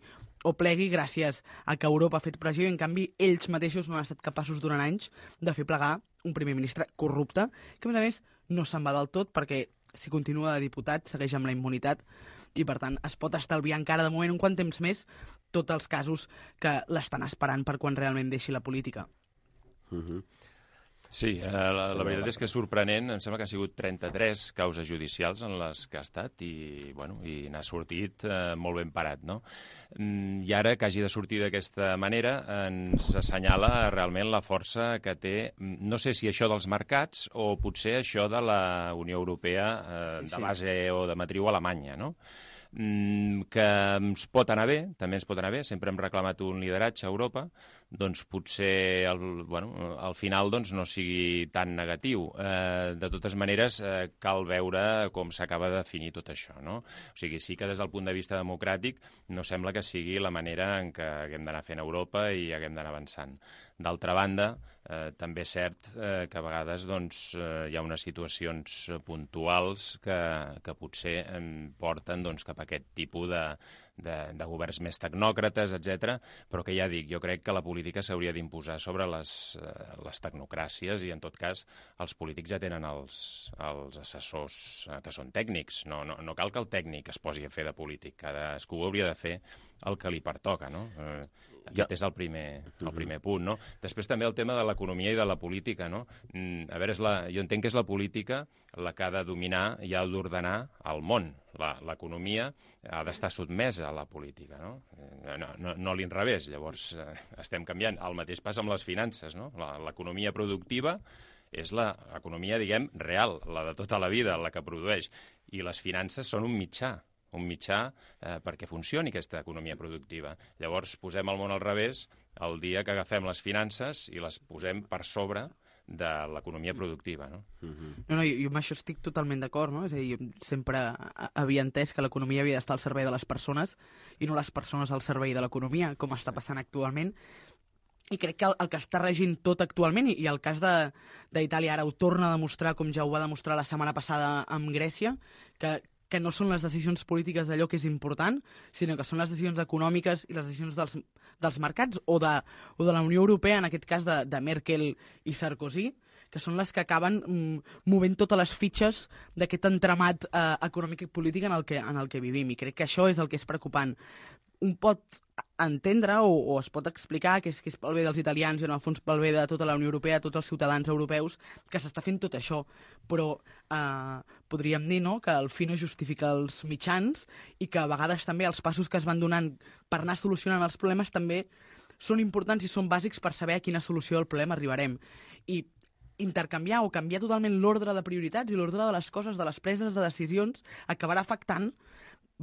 o plegui gràcies a que Europa ha fet pressió i en canvi ells mateixos no han estat capaços durant anys de fer plegar un primer ministre corrupte, que a més a més no se'n va del tot perquè si continua de diputat segueix amb la immunitat i per tant es pot estalviar encara de moment un quant temps més tots els casos que l'estan esperant per quan realment deixi la política. Uh-huh. Sí, eh, la, la veritat és que és sorprenent. Em sembla que ha sigut trenta-tres causes judicials en les que ha estat i, bueno, i n'ha sortit eh, molt ben parat, no? I ara que hagi de sortir d'aquesta manera ens assenyala realment la força que té, no sé si això dels mercats o potser això de la Unió Europea eh, de base o de matriu alemanya, no? Que ens pot anar bé, també ens pot anar bé, sempre hem reclamat un lideratge a Europa, doncs potser al, bueno, al final doncs, no sigui tan negatiu. Eh, de totes maneres, eh, cal veure com s'acaba de definir tot això, no? O sigui, sí que des del punt de vista democràtic no sembla que sigui la manera en què haguem d'anar fent Europa i haguem d'anar avançant. D'altra banda, eh, també és cert eh, que a vegades doncs, eh, hi ha unes situacions puntuals que, que potser eh, porten doncs, cap a aquest tipus de, de, de governs més tecnòcrates, etcètera, però que ja dic, jo crec que la política s'hauria d'imposar sobre les, eh, les tecnocràcies i, en tot cas, els polítics ja tenen els, els assessors eh, que són tècnics. No, no, no cal que el tècnic es posi a fer de polític. Cadascú hauria de fer el que li pertoca, no? Eh, aquest és el primer, el primer punt, no? Després també el tema de l'economia i de la política, no? A veure, és la, jo entenc que és la política la que ha de dominar i ha d'ordenar el món. L'economia ha d'estar sotmesa a la política, no? No, no, no a l'inrevés. Llavors eh, estem canviant. El mateix passa amb les finances, no? L'economia productiva és l'economia, diguem, real, la de tota la vida, la que produeix. I les finances són un mitjà. un mitjà eh, perquè funcioni aquesta economia productiva. Llavors posem el món al revés el dia que agafem les finances i les posem per sobre de l'economia productiva, no? Uh-huh. No, no, jo, jo amb això estic totalment d'acord, no? És a dir, jo sempre havia entès que l'economia havia d'estar al servei de les persones i no les persones al servei de l'economia, com està passant actualment. I crec que el, el que està regint tot actualment, i, i el cas d'Itàlia ara ho torna a demostrar, com ja ho va demostrar la setmana passada amb Grècia, que que no són les decisions polítiques d'allò que és important, sinó que són les decisions econòmiques i les decisions dels, dels mercats o de, o de la Unió Europea, en aquest cas de, de Merkel i Sarkozy, que són les que acaben mm, movent totes les fitxes d'aquest entramat eh, econòmic i polític en el, que, en el que vivim. I crec que això és el que és preocupant. Un pot entendre o, o es pot explicar que és, que és pel bé dels italians i en el fons pel bé de tota la Unió Europea, tots els ciutadans europeus, que s'està fent tot això. Però eh, podríem dir, no?, que el fi no justifica els mitjans i que a vegades també els passos que es van donant per anar solucionant els problemes també són importants i són bàsics per saber a quina solució del problema arribarem. I intercanviar o canviar totalment l'ordre de prioritats i l'ordre de les coses, de les preses de decisions, acabarà afectant,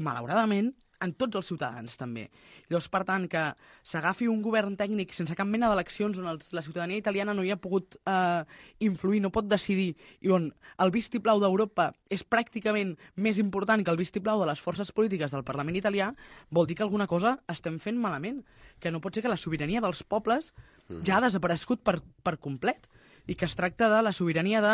malauradament, en tots els ciutadans, també. Llavors, per tant, que s'agafi un govern tècnic sense cap mena d'eleccions, on els, la ciutadania italiana no hi ha pogut eh, influir, no pot decidir, i on el vistiplau d'Europa és pràcticament més important que el vistiplau de les forces polítiques del Parlament italià, vol dir que alguna cosa estem fent malament, que no pot ser que la sobirania dels pobles ja ha desaparegut per, per complet, i que es tracta de la sobirania de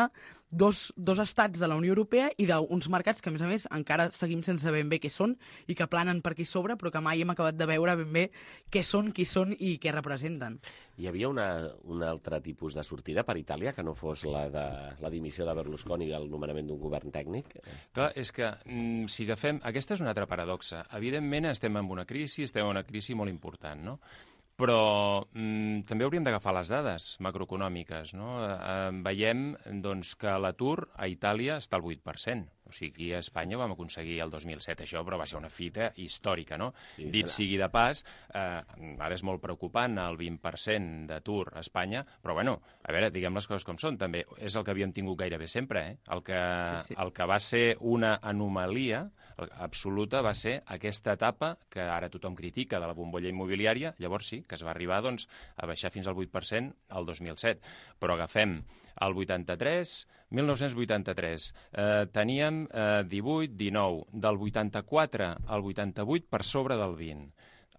dos, dos estats de la Unió Europea i d'uns mercats que, a més a més, encara seguim sense ben bé què són i que planen per aquí sobre, però que mai hem acabat de veure ben bé què són, qui són i què representen. Hi havia una, un altre tipus de sortida per Itàlia que no fos la de la dimissió de Berlusconi i el nomenament d'un govern tècnic? Clar, és que mm, si agafem... Aquesta és una altra paradoxa. Evidentment estem en una crisi, estem en una crisi molt important, no? Però mm, també hauríem d'agafar les dades macroeconòmiques, no? Eh, veiem doncs, que l'atur a Itàlia està al vuit per cent. O sigui, aquí a Espanya vam aconseguir el dos mil set això, però va ser una fita històrica, no? Sí, dit sigui de pas, eh, ara és molt preocupant el vint per cent d'atur a Espanya, però bueno, a veure, diguem les coses com són, també és el que havíem tingut gairebé sempre, eh? El que, sí, sí. El que va ser una anomalia absoluta va ser aquesta etapa que ara tothom critica de la bombolla immobiliària, llavors sí, que es va arribar doncs, a baixar fins al vuit per cent el dos mil set, però agafem el vuitanta-tres, mil nou-cents vuitanta-tres, eh, teníem eh, divuit, dinou, del vuitanta-quatre al vuitanta-vuit per sobre del vint.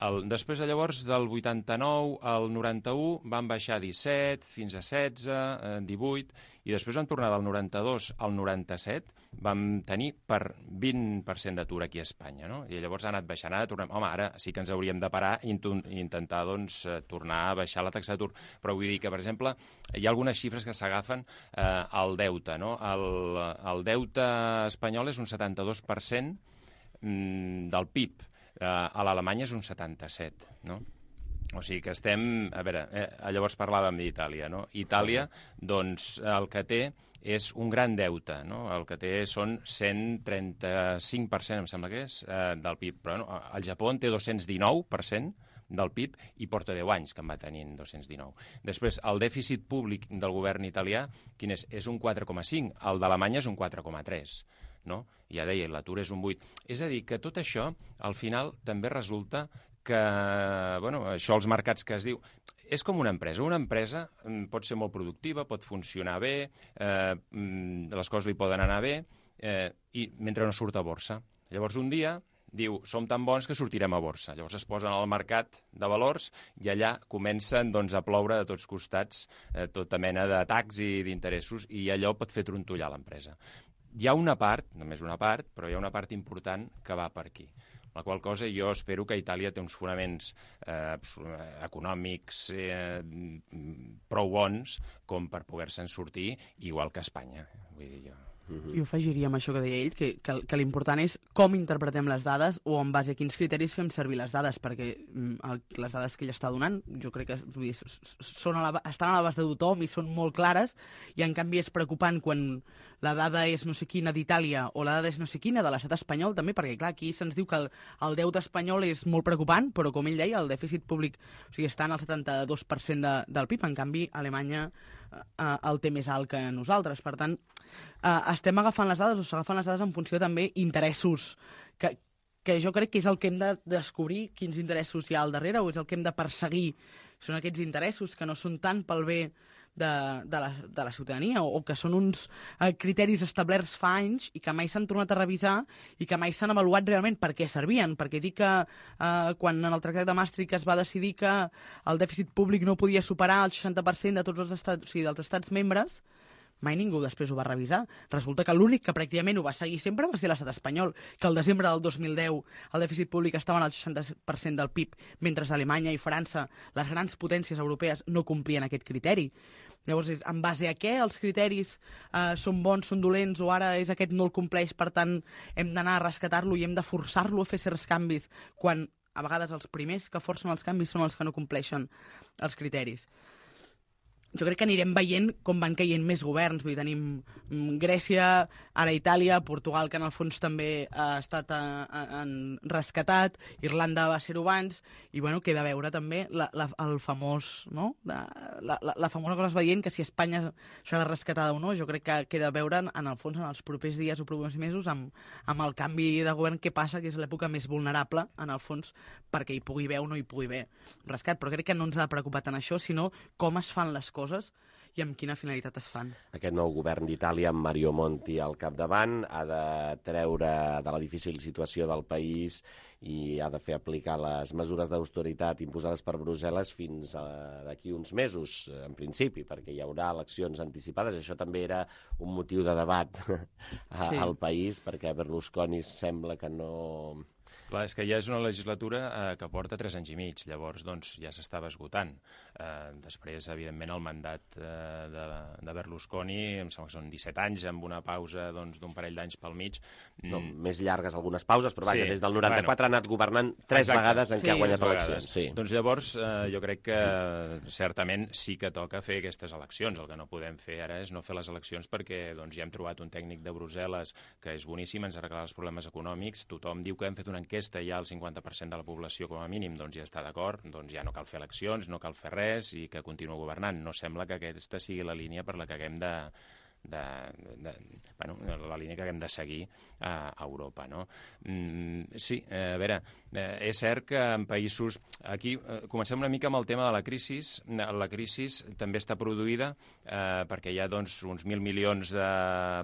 El, després, llavors, del vuitanta-nou al noranta-u van baixar disset, fins a setze, eh, divuit, i després van tornar del noranta-dos al noranta-set, vam tenir per vint per cent d'atur aquí a Espanya, no? I llavors ha anat baixant, ara tornem... Home, ara sí que ens hauríem de parar i intentar, doncs, tornar a baixar la taxa d'atur. Però vull dir que, per exemple, hi ha algunes xifres que s'agafen eh, al deute, no? El, el deute espanyol és un setanta-dos per cent mm, del P I B. Uh, a l'Alemanya és un setanta-set, no? O sigui que estem... A veure, eh, llavors parlàvem d'Itàlia, no? Itàlia, doncs, el que té és un gran deute, no? El que té són cent trenta-cinc per cent, em sembla que és, eh, del P I B. Però no, el Japó en té dos-cents dinou per cent del P I B i porta deu anys que en va tenint dos-cents dinou. Després, el dèficit públic del govern italià, quin és? És un quatre coma cinc, el d'Alemanya és un quatre coma tres. No? Ja deia, l'atur és un vuit. És a dir, que tot això, al final, també resulta que, bueno, això els mercats que es diu, és com una empresa. Una empresa pot ser molt productiva, pot funcionar bé, eh, les coses li poden anar bé, eh, i mentre no surt a borsa. Llavors, un dia diu, som tan bons que sortirem a borsa. Llavors es posen al mercat de valors i allà comencen doncs, a ploure de tots costats eh, tota mena d'atacs i d'interessos i allò pot fer trontollar l'empresa. Hi ha una part, només una part, però hi ha una part important que va per aquí. La qual cosa jo espero que Itàlia té uns fonaments eh, econòmics eh, prou bons com per poder-se'n sortir, igual que Espanya. Vull dir jo. Jo afegiria amb això que deia ell, que, que, que l'important és com interpretem les dades o en base a quins criteris fem servir les dades, perquè el, les dades que ell està donant, jo crec que vull dir, són a la, estan a l'abast de tothom i són molt clares, i en canvi és preocupant quan la dada és no sé quina d'Itàlia o la dada és no sé quina de l'estat espanyol també, perquè clar, aquí se'ns diu que el, el deute espanyol és molt preocupant, però com ell deia, el dèficit públic o sigui, està en el setanta-dos per cent de, del P I B, en canvi Alemanya eh, el té més alt que nosaltres. Per tant, eh, estem agafant les dades o s'agafen les dades en funció també interessos que, que jo crec que és el que hem de descobrir, quins interessos hi ha al darrere, o és el que hem de perseguir. Són aquests interessos que no són tant pel bé de, de, la, de la ciutadania o, o que són uns eh, criteris establerts fa anys i que mai s'han tornat a revisar i que mai s'han avaluat realment per què servien. Perquè dic que eh, quan en el Tractat de Maastricht es va decidir que el dèficit públic no podia superar el seixanta per cent de tots els estats, o sigui, dels estats membres, mai ningú després ho va revisar. Resulta que l'únic que pràcticament ho va seguir sempre va ser l'estat espanyol, que al desembre del dos mil deu el dèficit públic estava en el seixanta per cent del P I B, mentre Alemanya i França, les grans potències europees, no complien aquest criteri. Llavors, és, en base a què els criteris eh, són bons, són dolents, o ara és aquest no el compleix, per tant, hem d'anar a rescatar-lo i hem de forçar-lo a fer certs canvis, quan a vegades els primers que forcen els canvis són els que no compleixen els criteris. jo crec que anirem veient com van caient més governs. Vull dir, tenim Grècia, ara Itàlia, Portugal, que en el fons també ha estat a, a, a rescatat, Irlanda va ser-ho abans, i bueno, queda a veure també la, la, el famós, no? La, la, la famosa cosa es va dient que si Espanya serà rescatada o no. Jo crec que queda a veure, en el fons, en els propers dies o propers mesos, amb, amb el canvi de govern que passa, que és l'època més vulnerable, en el fons, perquè hi pugui haver o no hi pugui haver rescat. Però crec que no ens ha de preocupar tant això, sinó com es fan les coses i amb quina finalitat es fan. Aquest nou govern d'Itàlia, amb Mario Monti al capdavant, ha de treure de la difícil situació del país i ha de fer aplicar les mesures d'austeritat imposades per Brussel·les fins d'aquí uns mesos, en principi, perquè hi haurà eleccions anticipades. Això també era un motiu de debat a, sí. al país, perquè Berlusconi sembla que no... Clar, és que ja és una legislatura eh, que porta tres anys i mig, llavors doncs, ja s'estava esgotant. Eh, després, evidentment, el mandat eh, de, de Berlusconi, em sembla que són disset anys, amb una pausa doncs, d'un parell d'anys pel mig. No, mm. Més llargues algunes pauses, però vaja, sí. des del noranta-quatre bueno, ha anat governant tres Exacte. vegades en sí. què ha guanyat eleccions. Sí. Doncs llavors, eh, jo crec que certament sí que toca fer aquestes eleccions. El que no podem fer ara és no fer les eleccions perquè doncs, ja hem trobat un tècnic de Brussel·les que és boníssim, ens ha arreglat els problemes econòmics, tothom diu que hem fet una enquesta ja el cinquanta per cent de la població com a mínim doncs ja està d'acord, doncs ja no cal fer eleccions, no cal fer res i que continua governant. No sembla que aquesta sigui la línia per la que haguem de, de, de bueno, la línia que haguem de seguir a, a Europa, no? Mm, sí, a veure, eh, és cert que en països... Aquí eh, comencem una mica amb el tema de la crisi. La crisi també està produïda eh, perquè hi ha doncs, uns mil milions de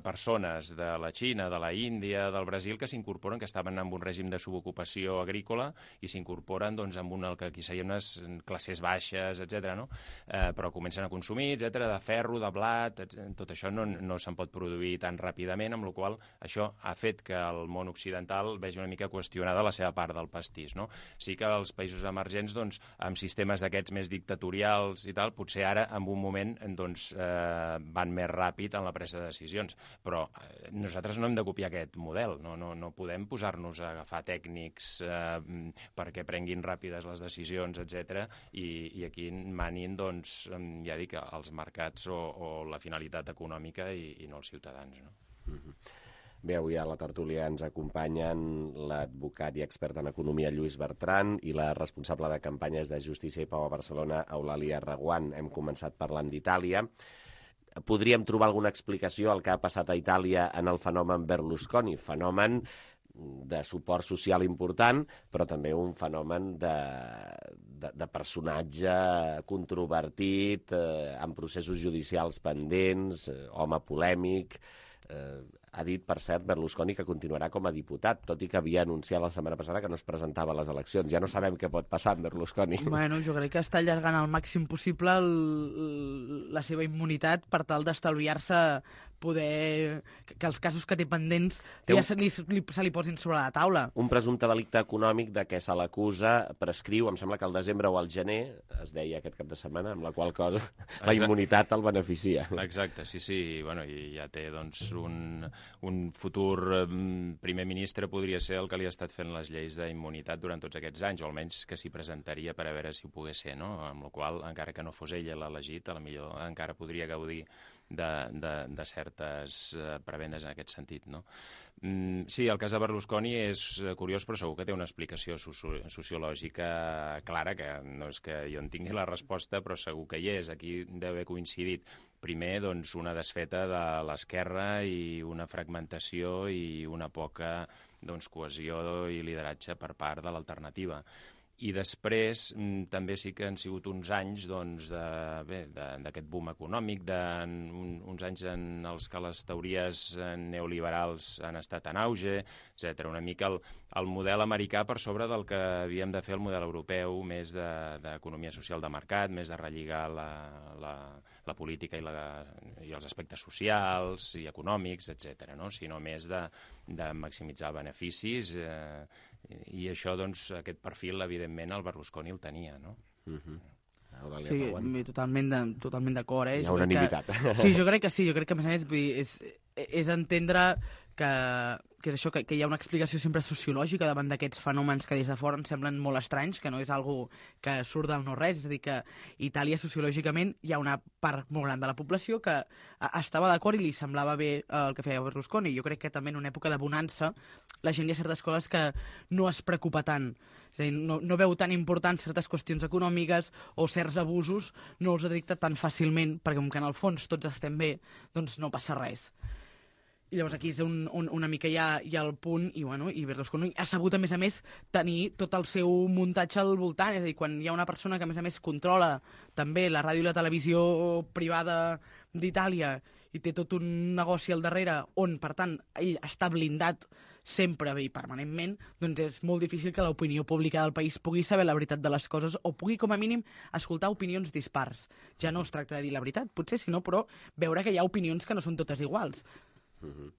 persones de la Xina, de la Índia, del Brasil, que s'incorporen, que estaven en un règim de subocupació agrícola i s'incorporen doncs, amb una, el que aquí serien unes classes baixes, etcètera, no? Eh, però comencen a consumir, etcètera, de ferro, de blat, etcètera. Tot això no, no se'n pot produir tan ràpidament, amb la qual això ha fet que el món occidental vegi una mica qüestionada la seva part del pastís, no? Sí que els països emergents, doncs, amb sistemes d'aquests més dictatorials i tal, potser ara, en un moment, doncs, eh, van més ràpid en la presa de decisions. Però eh, nosaltres no hem de copiar aquest model, no, no, no podem posar-nos a agafar tècnics eh, perquè prenguin ràpides les decisions, etcètera, i, i aquí manin, doncs, ja dic, els mercats o, o la finalitat econòmica i, i no els ciutadans, no? Mm-hmm. Bé, avui a la tertúlia ens acompanyen l'advocat i expert en economia Lluís Bertran i la responsable de campanyes de Justícia i Pau a Barcelona, Eulàlia Reguant. Hem començat parlant d'Itàlia. Podríem trobar alguna explicació al que ha passat a Itàlia en el fenomen Berlusconi, fenomen de suport social important, però també un fenomen de, de, de personatge controvertit, eh, amb processos judicials pendents, eh, home polèmic. Eh, ha dit, per cert, Berlusconi que continuarà com a diputat, tot i que havia anunciat la setmana passada que no es presentava a les eleccions. Ja no sabem què pot passar amb Berlusconi. Bueno, jo crec que està allargant al màxim possible el, la seva immunitat per tal d'estalviar-se poder... que els casos que té pendents té un... ja se li, li, se li posin sobre la taula. Un presumpte delicte econòmic de què se l'acusa prescriu, em sembla que al desembre o al gener, es deia aquest cap de setmana, amb la qual cosa Exacte. la immunitat el beneficia. Exacte, sí, sí. Bueno, i ja té doncs, un, un futur primer ministre, podria ser el que li ha estat fent les lleis d'immunitat durant tots aquests anys, o almenys que s'hi presentaria per a veure si ho pogués ser, no? Amb la qual, encara que no fos ella l'elegit, a la millor encara podria gaudir de, de, de certes uh, prebendes en aquest sentit, no? Mm, sí, el cas de Berlusconi és curiós, però segur que té una explicació soci sociològica clara, que no és que jo en tingui la resposta, però segur que hi és. Aquí deu haver coincidit primer doncs, una desfeta de l'esquerra i una fragmentació i una poca doncs, cohesió i lideratge per part de l'alternativa. I després mm, també sí que han sigut uns anys doncs, d'aquest boom econòmic, de, un, uns anys en els que les teories neoliberals han estat en auge, etcètera. Una mica el, el model americà per sobre del que havíem de fer el model europeu, més d'economia de, social de mercat, més de relligar la, la, la política i, la, i els aspectes socials i econòmics, etcètera, no? Sinó més de, de maximitzar beneficis eh, i això, doncs, aquest perfil, evidentment, el Berlusconi el tenia, no? Uh-huh. Sí, totalment de, totalment d'acord, eh? Hi ha unanimitat. Que, sí, jo crec que sí, jo crec que, a més a més, vull dir, és, és entendre que que és això, que, que hi ha una explicació sempre sociològica davant d'aquests fenòmens que des de fora ens semblen molt estranys, que no és algo que surt del no-res, és a dir, que a Itàlia sociològicament hi ha una part molt gran de la població que estava d'acord i li semblava bé el que feia Berlusconi. Jo crec que també en una època de bonança la gent hi ha certes coses que no es preocupa tant. És a dir, no, no veu tan important certes qüestions econòmiques o certs abusos, no els detecta tan fàcilment, perquè com que en el fons tots estem bé, doncs no passa res. I llavors aquí és un, un, una mica ja, ja el punt, i, bueno, i Berlusconi ha sabut, a més a més, tenir tot el seu muntatge al voltant. És a dir, quan hi ha una persona que, a més a més, controla també la ràdio i la televisió privada d'Itàlia i té tot un negoci al darrere on, per tant, ell està blindat sempre i permanentment, doncs és molt difícil que l'opinió pública del país pugui saber la veritat de les coses o pugui, com a mínim, escoltar opinions dispars. Ja no es tracta de dir la veritat, potser, sinó, però veure que hi ha opinions que no són totes iguals. Uh-huh.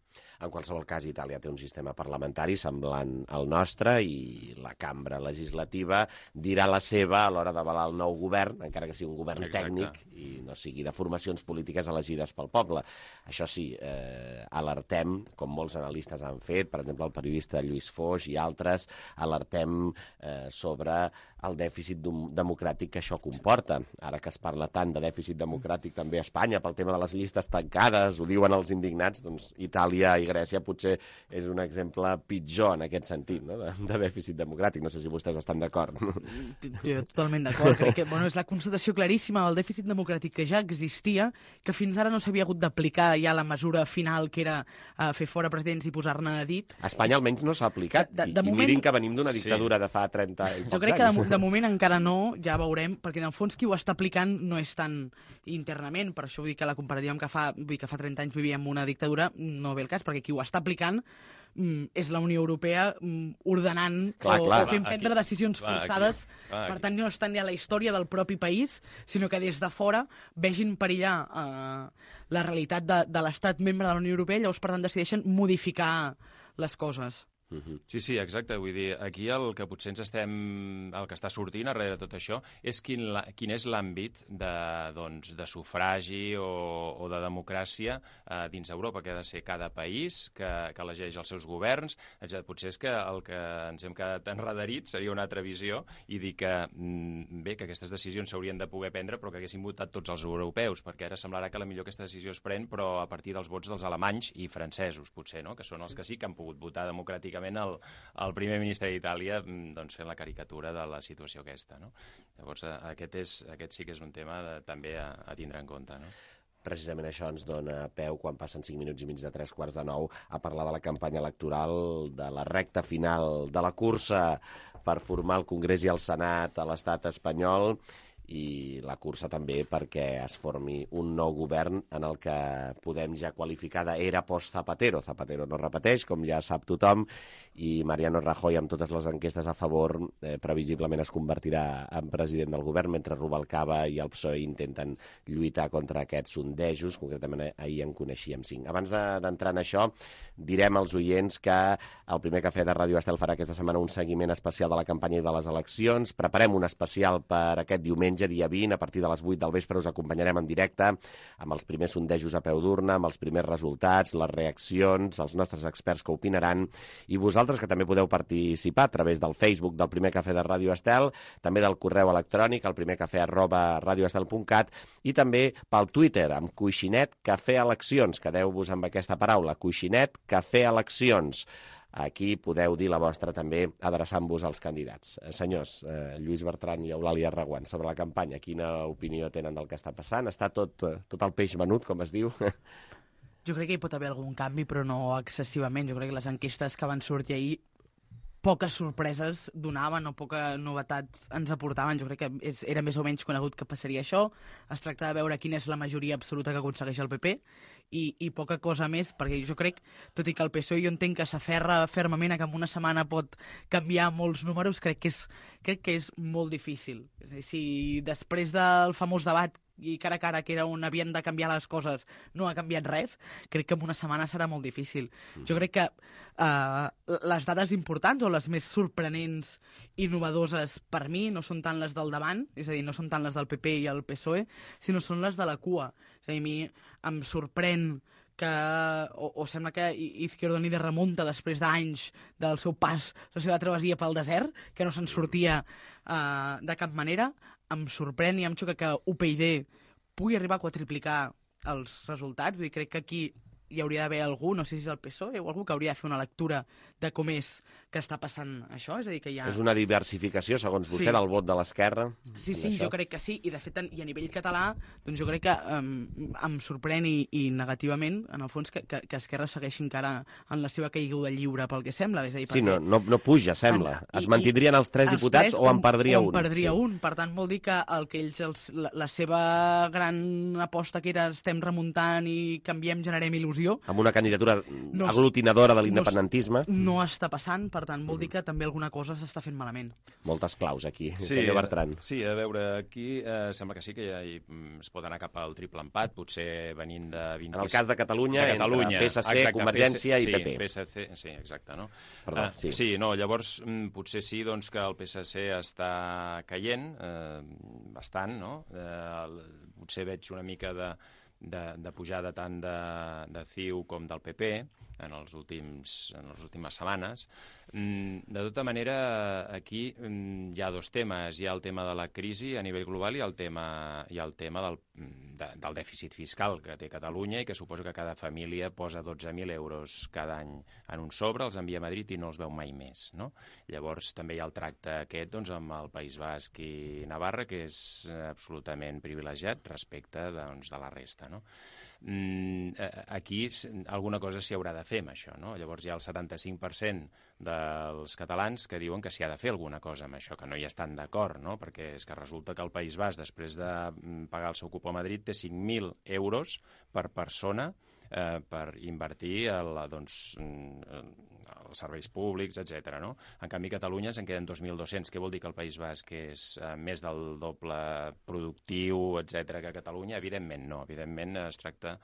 En qualsevol cas, Itàlia té un sistema parlamentari semblant al nostre i la cambra legislativa dirà la seva a l'hora d'avalar el nou govern, encara que sigui un govern Exacte. tècnic i no sigui de formacions polítiques elegides pel poble. Això sí, eh, alertem, com molts analistes han fet, per exemple el periodista Lluís Foix i altres, alertem eh, sobre el dèficit democràtic que això comporta. Ara que es parla tant de dèficit democràtic també a Espanya pel tema de les llistes tancades, ho diuen els indignats, doncs Itàlia i Grècia potser és un exemple pitjor en aquest sentit, no? de, de dèficit democràtic. No sé si vostès estan d'acord. Jo totalment d'acord. Crec que bueno, és la constatació claríssima del dèficit democràtic que ja existia, que fins ara no s'havia hagut d'aplicar ja la mesura final que era uh, fer fora presidents i posar-ne a dit. A Espanya almenys no s'ha aplicat. De, de, de I, moment... I mirin que venim d'una dictadura sí. de fa trenta i pocs anys. Jo crec que de, de moment encara no, ja veurem, perquè en el fons qui ho està aplicant no és tan internament, per això vull dir que la comparativa amb que fa, vull dir que fa trenta anys vivíem una dictadura, no ve el cas, perquè qui ho està aplicant mm, és la Unió Europea mm, ordenant clar, o, clar, o fent aquí, prendre decisions clar, forçades, aquí, clar, per tant no estan ja a la història del propi país, sinó que des de fora vegin perillar eh, la realitat de, de l'estat membre de la Unió Europea, llavors per tant decideixen modificar les coses. Sí, sí, exacte. Vull dir, aquí el que potser ens estem... el que està sortint darrere de tot això és quin, la, quin és l'àmbit de, doncs, de sufragi o, o de democràcia eh, dins Europa, que ha de ser cada país que, que elegeix els seus governs. Etcètera. Potser és que el que ens hem quedat enredarits seria una altra visió i dir que, bé, que aquestes decisions s'haurien de poder prendre però que haguessin votat tots els europeus, perquè ara semblarà que potser aquesta decisió es pren però a partir dels vots dels alemanys i francesos, potser, no? Que són els que sí que han pogut votar democràticament El, el primer ministre d'Itàlia doncs, fent la caricatura de la situació aquesta. No? Llavors, aquest, és, aquest sí que és un tema de, també a, a tindre en compte. No? Precisament això ens dona peu, quan passen cinc minuts i mig de tres quarts de nou, a parlar de la campanya electoral, de la recta final, de la cursa per formar el Congrés i el Senat a l'estat espanyol, i la cursa també perquè es formi un nou govern en el que podem ja qualificar d'era post-Zapatero. Zapatero no repeteix, com ja sap tothom, i Mariano Rajoy, amb totes les enquestes a favor, eh, previsiblement es convertirà en president del govern, mentre Rubalcaba i el P S O E intenten lluitar contra aquests sondejos. Concretament ahir en coneixíem cinc. Abans d'entrar en això, direm als oients que el primer cafè de Ràdio Estel farà aquesta setmana un seguiment especial de la campanya i de les eleccions. Preparem un especial per aquest diumenge, dia vint, a partir de les vuit del vespre us acompanyarem en directe amb els primers sondejos a peu d'urna, amb els primers resultats, les reaccions, els nostres experts que opinaran, i vosaltres que també podeu participar a través del Facebook del Primer Cafè de Ràdio Estel, també del correu electrònic al primercafè arroba radioestel punt cat i també pel Twitter amb Coixinet Cafè Eleccions. Quedeu-vos amb aquesta paraula, Coixinet Cafè Eleccions. Aquí podeu dir la vostra també adreçant-vos als candidats. Eh, senyors, eh, Lluís Bertran i Eulàlia Reguant, sobre la campanya, quina opinió tenen del que està passant? Està tot, tot el peix venut, com es diu? Jo crec que hi pot haver algun canvi, però no excessivament. Jo crec que les enquestes que van sortir ahir poques sorpreses donaven o poca novetat ens aportaven. Jo crec que és, era més o menys conegut que passaria això. Es tracta de veure quina és la majoria absoluta que aconsegueix el P P i, i poca cosa més, perquè jo crec, tot i que el P S O E jo entenc que s'aferra fermament a que en una setmana pot canviar molts números, crec que és, crec que és molt difícil. És a dir, si després del famós debat i cara a cara, que era on havien de canviar les coses, no ha canviat res, crec que en una setmana serà molt difícil. Jo crec que uh, les dades importants o les més sorprenents i innovadores per mi no són tant les del davant, és a dir, no són tant les del P P i el P S O E, sinó són les de la cua. És a dir, a mi em sorprèn que, o, o sembla que Izquierda Unida remunta després d'anys del seu pas, la seva travessia pel desert, que no se'n sortia uh, de cap manera. Em sorprèn i em xoca que U P y pugui arribar a quadriplicar els resultats. Vull dir, crec que aquí hi hauria d'haver algú, no sé si és el P S O E o algú que hauria de fer una lectura de com és que està passant això. És a dir, que hi ha... És una diversificació, segons vostè, sí. del vot de l'esquerra? Sí, sí, jo crec que sí. I, de fet, i a nivell català, doncs jo crec que um, em sorprèn i, i negativament, en el fons, que, que, que Esquerra segueixi encara en la seva caiguda lliure, pel que sembla. És a dir, sí, no, no, no puja, sembla. En, es mantindrien els tres els diputats tres, o en perdria un? O en perdria sí. un. Per tant, vol dir que el que ells, els, la, la seva gran aposta, que era estem remuntant i canviem, generem il·lusió, amb una candidatura no, aglutinadora de l'independentisme. No, no està passant, per tant, vol dir que també alguna cosa s'està fent malament. Moltes claus aquí, sí, senyor Bertran. Sí, a veure, aquí eh, sembla que sí que ja hi, es pot anar cap al triple empat, potser venint de... vint... En el cas de Catalunya, de Catalunya entre P S C, exacte, Convergència P S, i P P. Sí, P S C, sí, exacte, no? Perdó, uh, sí. Sí, no, llavors potser sí doncs, que el P S C està caient, eh, bastant, no? Eh, potser veig una mica de... De, de pujada tant de, de C I U com del P P en els últims, en les últimes setmanes. De tota manera, aquí hi ha dos temes. Hi ha el tema de la crisi a nivell global i el tema, i el tema del, de, del dèficit fiscal que té Catalunya i que suposo que cada família posa dotze mil euros cada any en un sobre, els envia a Madrid i no els veu mai més, no? Llavors també hi ha el tracte aquest doncs, amb el País Basc i Navarra, que és absolutament privilegiat respecte doncs, de la resta, no? Mm, aquí alguna cosa s'hi haurà de fer amb això, no? Llavors hi ha el setanta-cinc per cent dels catalans que diuen que s'hi ha de fer alguna cosa amb això, que no hi estan d'acord, no? Perquè és que resulta que el País Basc, després de pagar el seu cupo a Madrid, té cinc mil euros per persona eh, per invertir el, doncs, els serveis públics, etcètera, no? En canvi, a Catalunya se'n queden dos mil dos-cents. Què vol dir que el País Basc és eh, més del doble productiu, etcètera, que Catalunya? Evidentment no. Evidentment es tracta...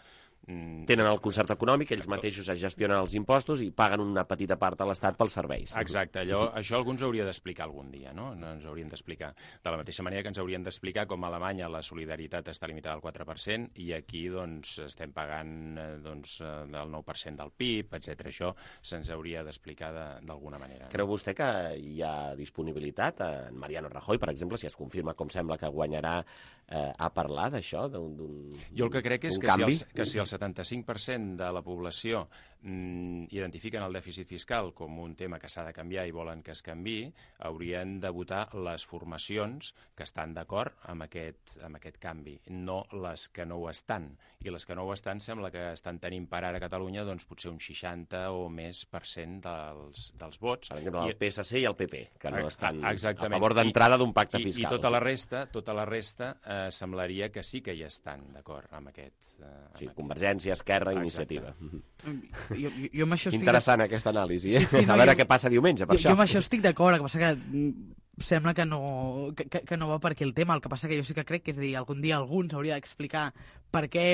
Tenen el concert econòmic, ells mateixos es gestionen els impostos i paguen una petita part a l'Estat pels serveis. Exacte, allò, això algú ens hauria d'explicar algun dia, no? No ens haurien d'explicar. De la mateixa manera que ens haurien d'explicar com a Alemanya la solidaritat està limitada al quatre per cent i aquí doncs, estem pagant doncs, el nou per cent del P I B, etcètera. Això se'ns hauria d'explicar d'alguna manera. Creu vostè que hi ha disponibilitat? En Mariano Rajoy, per exemple, si es confirma com sembla que guanyarà, eh, a parlar d'això, d'un Jo el que crec és que canvi? si, els, que si el setanta-cinc per cent de la població mm, identifiquen el dèficit fiscal com un tema que s'ha de canviar i volen que es canviï, haurien de votar les formacions que estan d'acord amb, aquest, amb aquest canvi, no les que no ho estan. I les que no ho estan sembla que estan tenint per ara a Catalunya doncs, potser un seixanta o més per cent dels, dels vots. Per exemple, el P S C i el P P, que no estan Exactament. a favor d'entrada d'un pacte I, fiscal. I tota la resta, tota la resta eh, semblaria que sí que hi estan d'acord amb aquest... Eh, amb sí, aquest. Convergència, Esquerra, Exacte. Iniciativa. Jo, jo, jo amb això estic Interessant, de... aquesta anàlisi, eh? Sí, sí, no, a veure jo... què passa diumenge, per jo, això. Jo amb això estic d'acord, el que passa que sembla que no, que, que no va per aquí el tema. El que passa que jo sí que crec que, és a dir, algun dia algú ens hauria d'explicar per què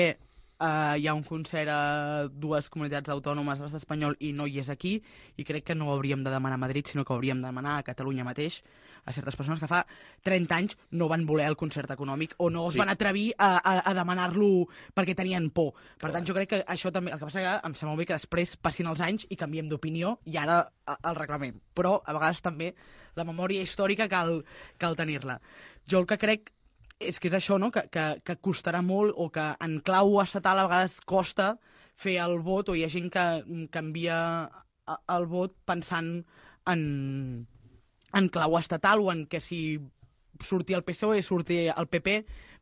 Uh, hi ha un concert a dues comunitats autònomes a l'estat espanyol i no hi és aquí, i crec que no ho hauríem de demanar a Madrid, sinó que ho hauríem de demanar a Catalunya mateix, a certes persones que fa trenta anys no van voler el concert econòmic o no es sí. van atrevir a, a, a demanar-lo perquè tenien por. Per Clar. tant, jo crec que això també... El que passa que em sembla bé que després passin els anys i canviem d'opinió i ara el reclamem. Però, a vegades, també la memòria històrica cal, cal tenir-la. Jo el que crec és que és això, no? que, que, que costarà molt, o que en clau estatal a vegades costa fer el vot, o hi ha gent que canvia el vot pensant en, en clau estatal, o en que si surti el P S O E, surti el P P,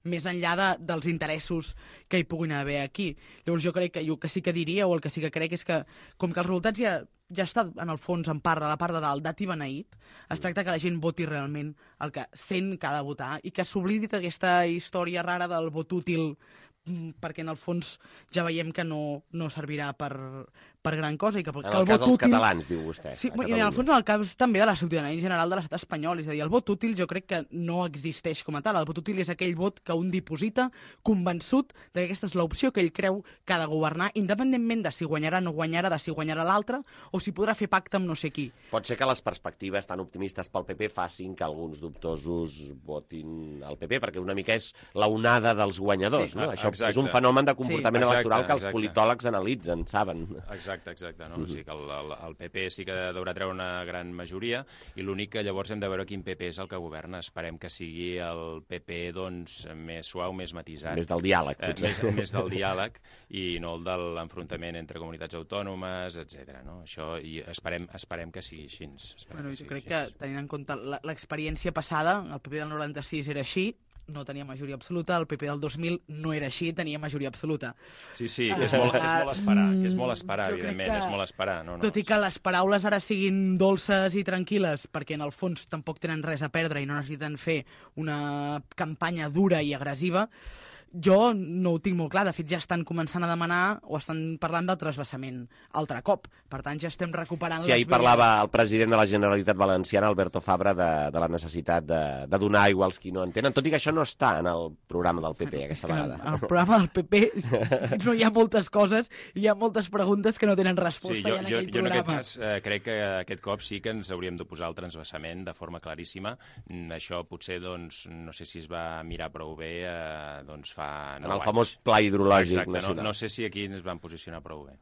més enllà de, dels interessos que hi puguin haver aquí. Llavors jo crec que jo que sí que diria, o el que sí que crec, és que com que els resultats ja, ja està en el fons, en part, a la part de dalt, dat i beneït, es tracta que la gent voti realment el que sent que ha de votar i que s'oblidi d'aquesta història rara del vot útil, perquè en el fons ja veiem que no, no servirà per, per gran cosa. I que, en que el, el cas vot dels útil... catalans, diu vostè. Sí, i en el fons en el cas també de la ciutadania en general de l'estat espanyol. És a dir, el vot útil jo crec que no existeix com a tal. El vot útil és aquell vot que un diposita convençut que aquesta és l'opció que ell creu que ha de governar, independentment de si guanyarà o no guanyarà, de si guanyarà l'altre, o si podrà fer pacte amb no sé qui. Pot ser que les perspectives tan optimistes pel P P facin que alguns dubtosos votin al P P, perquè una mica és la onada dels guanyadors, sí, no? Això exacte. És un fenomen de comportament sí, exacte, electoral que els exacte. politòlegs analitzen, saben. Exacte, exacte. No? Mm -hmm. O sigui que el, el, el P P sí que deurà treure una gran majoria i l'únic que llavors hem de veure quin P P és el que governa. Esperem que sigui el P P doncs, més suau, més matisat. Més del diàleg, potser. Eh, més, més del diàleg i no el de l'enfrontament entre comunitats autònomes, etcètera. No? Això, i esperem, esperem que sigui així. Bueno, que sigui jo crec així. Que, tenint en compte l'experiència passada, el P P del noranta-sis era així, no tenia majoria absoluta, el P P del dos mil no era així, tenia majoria absoluta. Sí, sí, uh, és, molt, és molt esperar, que és molt esperar, evidentment, que, és molt esperar. No, no. Tot i que les paraules ara siguin dolces i tranquil·les, perquè en el fons tampoc tenen res a perdre i no necessiten fer una campanya dura i agressiva, jo no ho tinc molt clar. De fet, ja estan començant a demanar o estan parlant del transvasament altre cop. Per tant, ja estem recuperant... Sí, ahir parlava el president de la Generalitat Valenciana, Alberto Fabra, de, de la necessitat de, de donar aigua als qui no en tenen, tot i que això no està en el programa del P P, bueno, aquesta vegada. En el programa del P P no hi ha moltes coses, hi ha moltes preguntes que no tenen resposta sí, jo, ja en jo, aquell jo programa. Jo en aquest cas eh, crec que aquest cop sí que ens hauríem d'oposar al transvasament de forma claríssima. Això potser, doncs, no sé si es va mirar prou bé, eh, doncs fa... En el famós pla hidrològic Exacte, nacional. No, no sé si aquí ens van posicionar prou bé.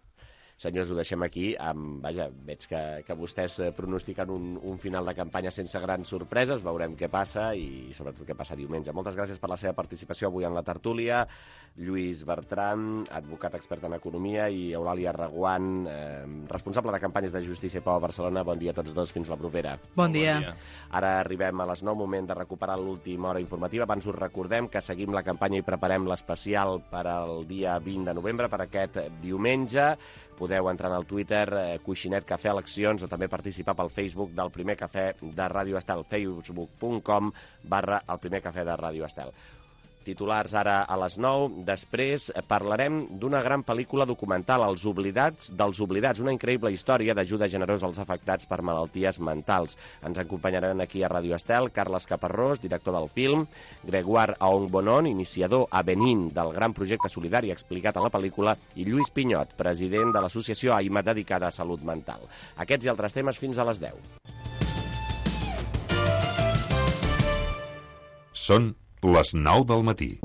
Senyors, ho deixem aquí. Um, vaja, veig que, que vostès eh, pronostiquen un, un final de campanya sense grans sorpreses. Veurem què passa i sobretot què passa diumenge. Moltes gràcies per la seva participació avui en la tertúlia. Lluís Bertran, advocat expert en economia, i Eulàlia Reguant, eh, responsable de campanyes de Justícia i Pau a Barcelona. Bon dia a tots dos, fins la propera. Bon dia. Bon dia. Ara arribem a les nou, moment de recuperar l'última hora informativa. Abans us recordem que seguim la campanya i preparem l'especial per al dia vint de novembre, per aquest diumenge. Podeu entrar al Twitter, eh, Coixinet Cafè Eleccions, o també participar pel Facebook del Primer Cafè de Ràdio Estel, facebook punt com barra el Primer Cafè de Ràdio Estel. Titulars ara a les nou. Després parlarem d'una gran pel·lícula documental, Els oblidats dels oblidats, una increïble història d'ajuda generosa als afectats per malalties mentals. Ens acompanyaran aquí a Ràdio Estel Carles Caparrós, director del film, Gregoire Aongbonon, iniciador a Benín del gran projecte solidari explicat a la pel·lícula, i Lluís Pinyot, president de l'associació AIMA dedicada a salut mental. Aquests i altres temes fins a les deu. Són les nou del matí.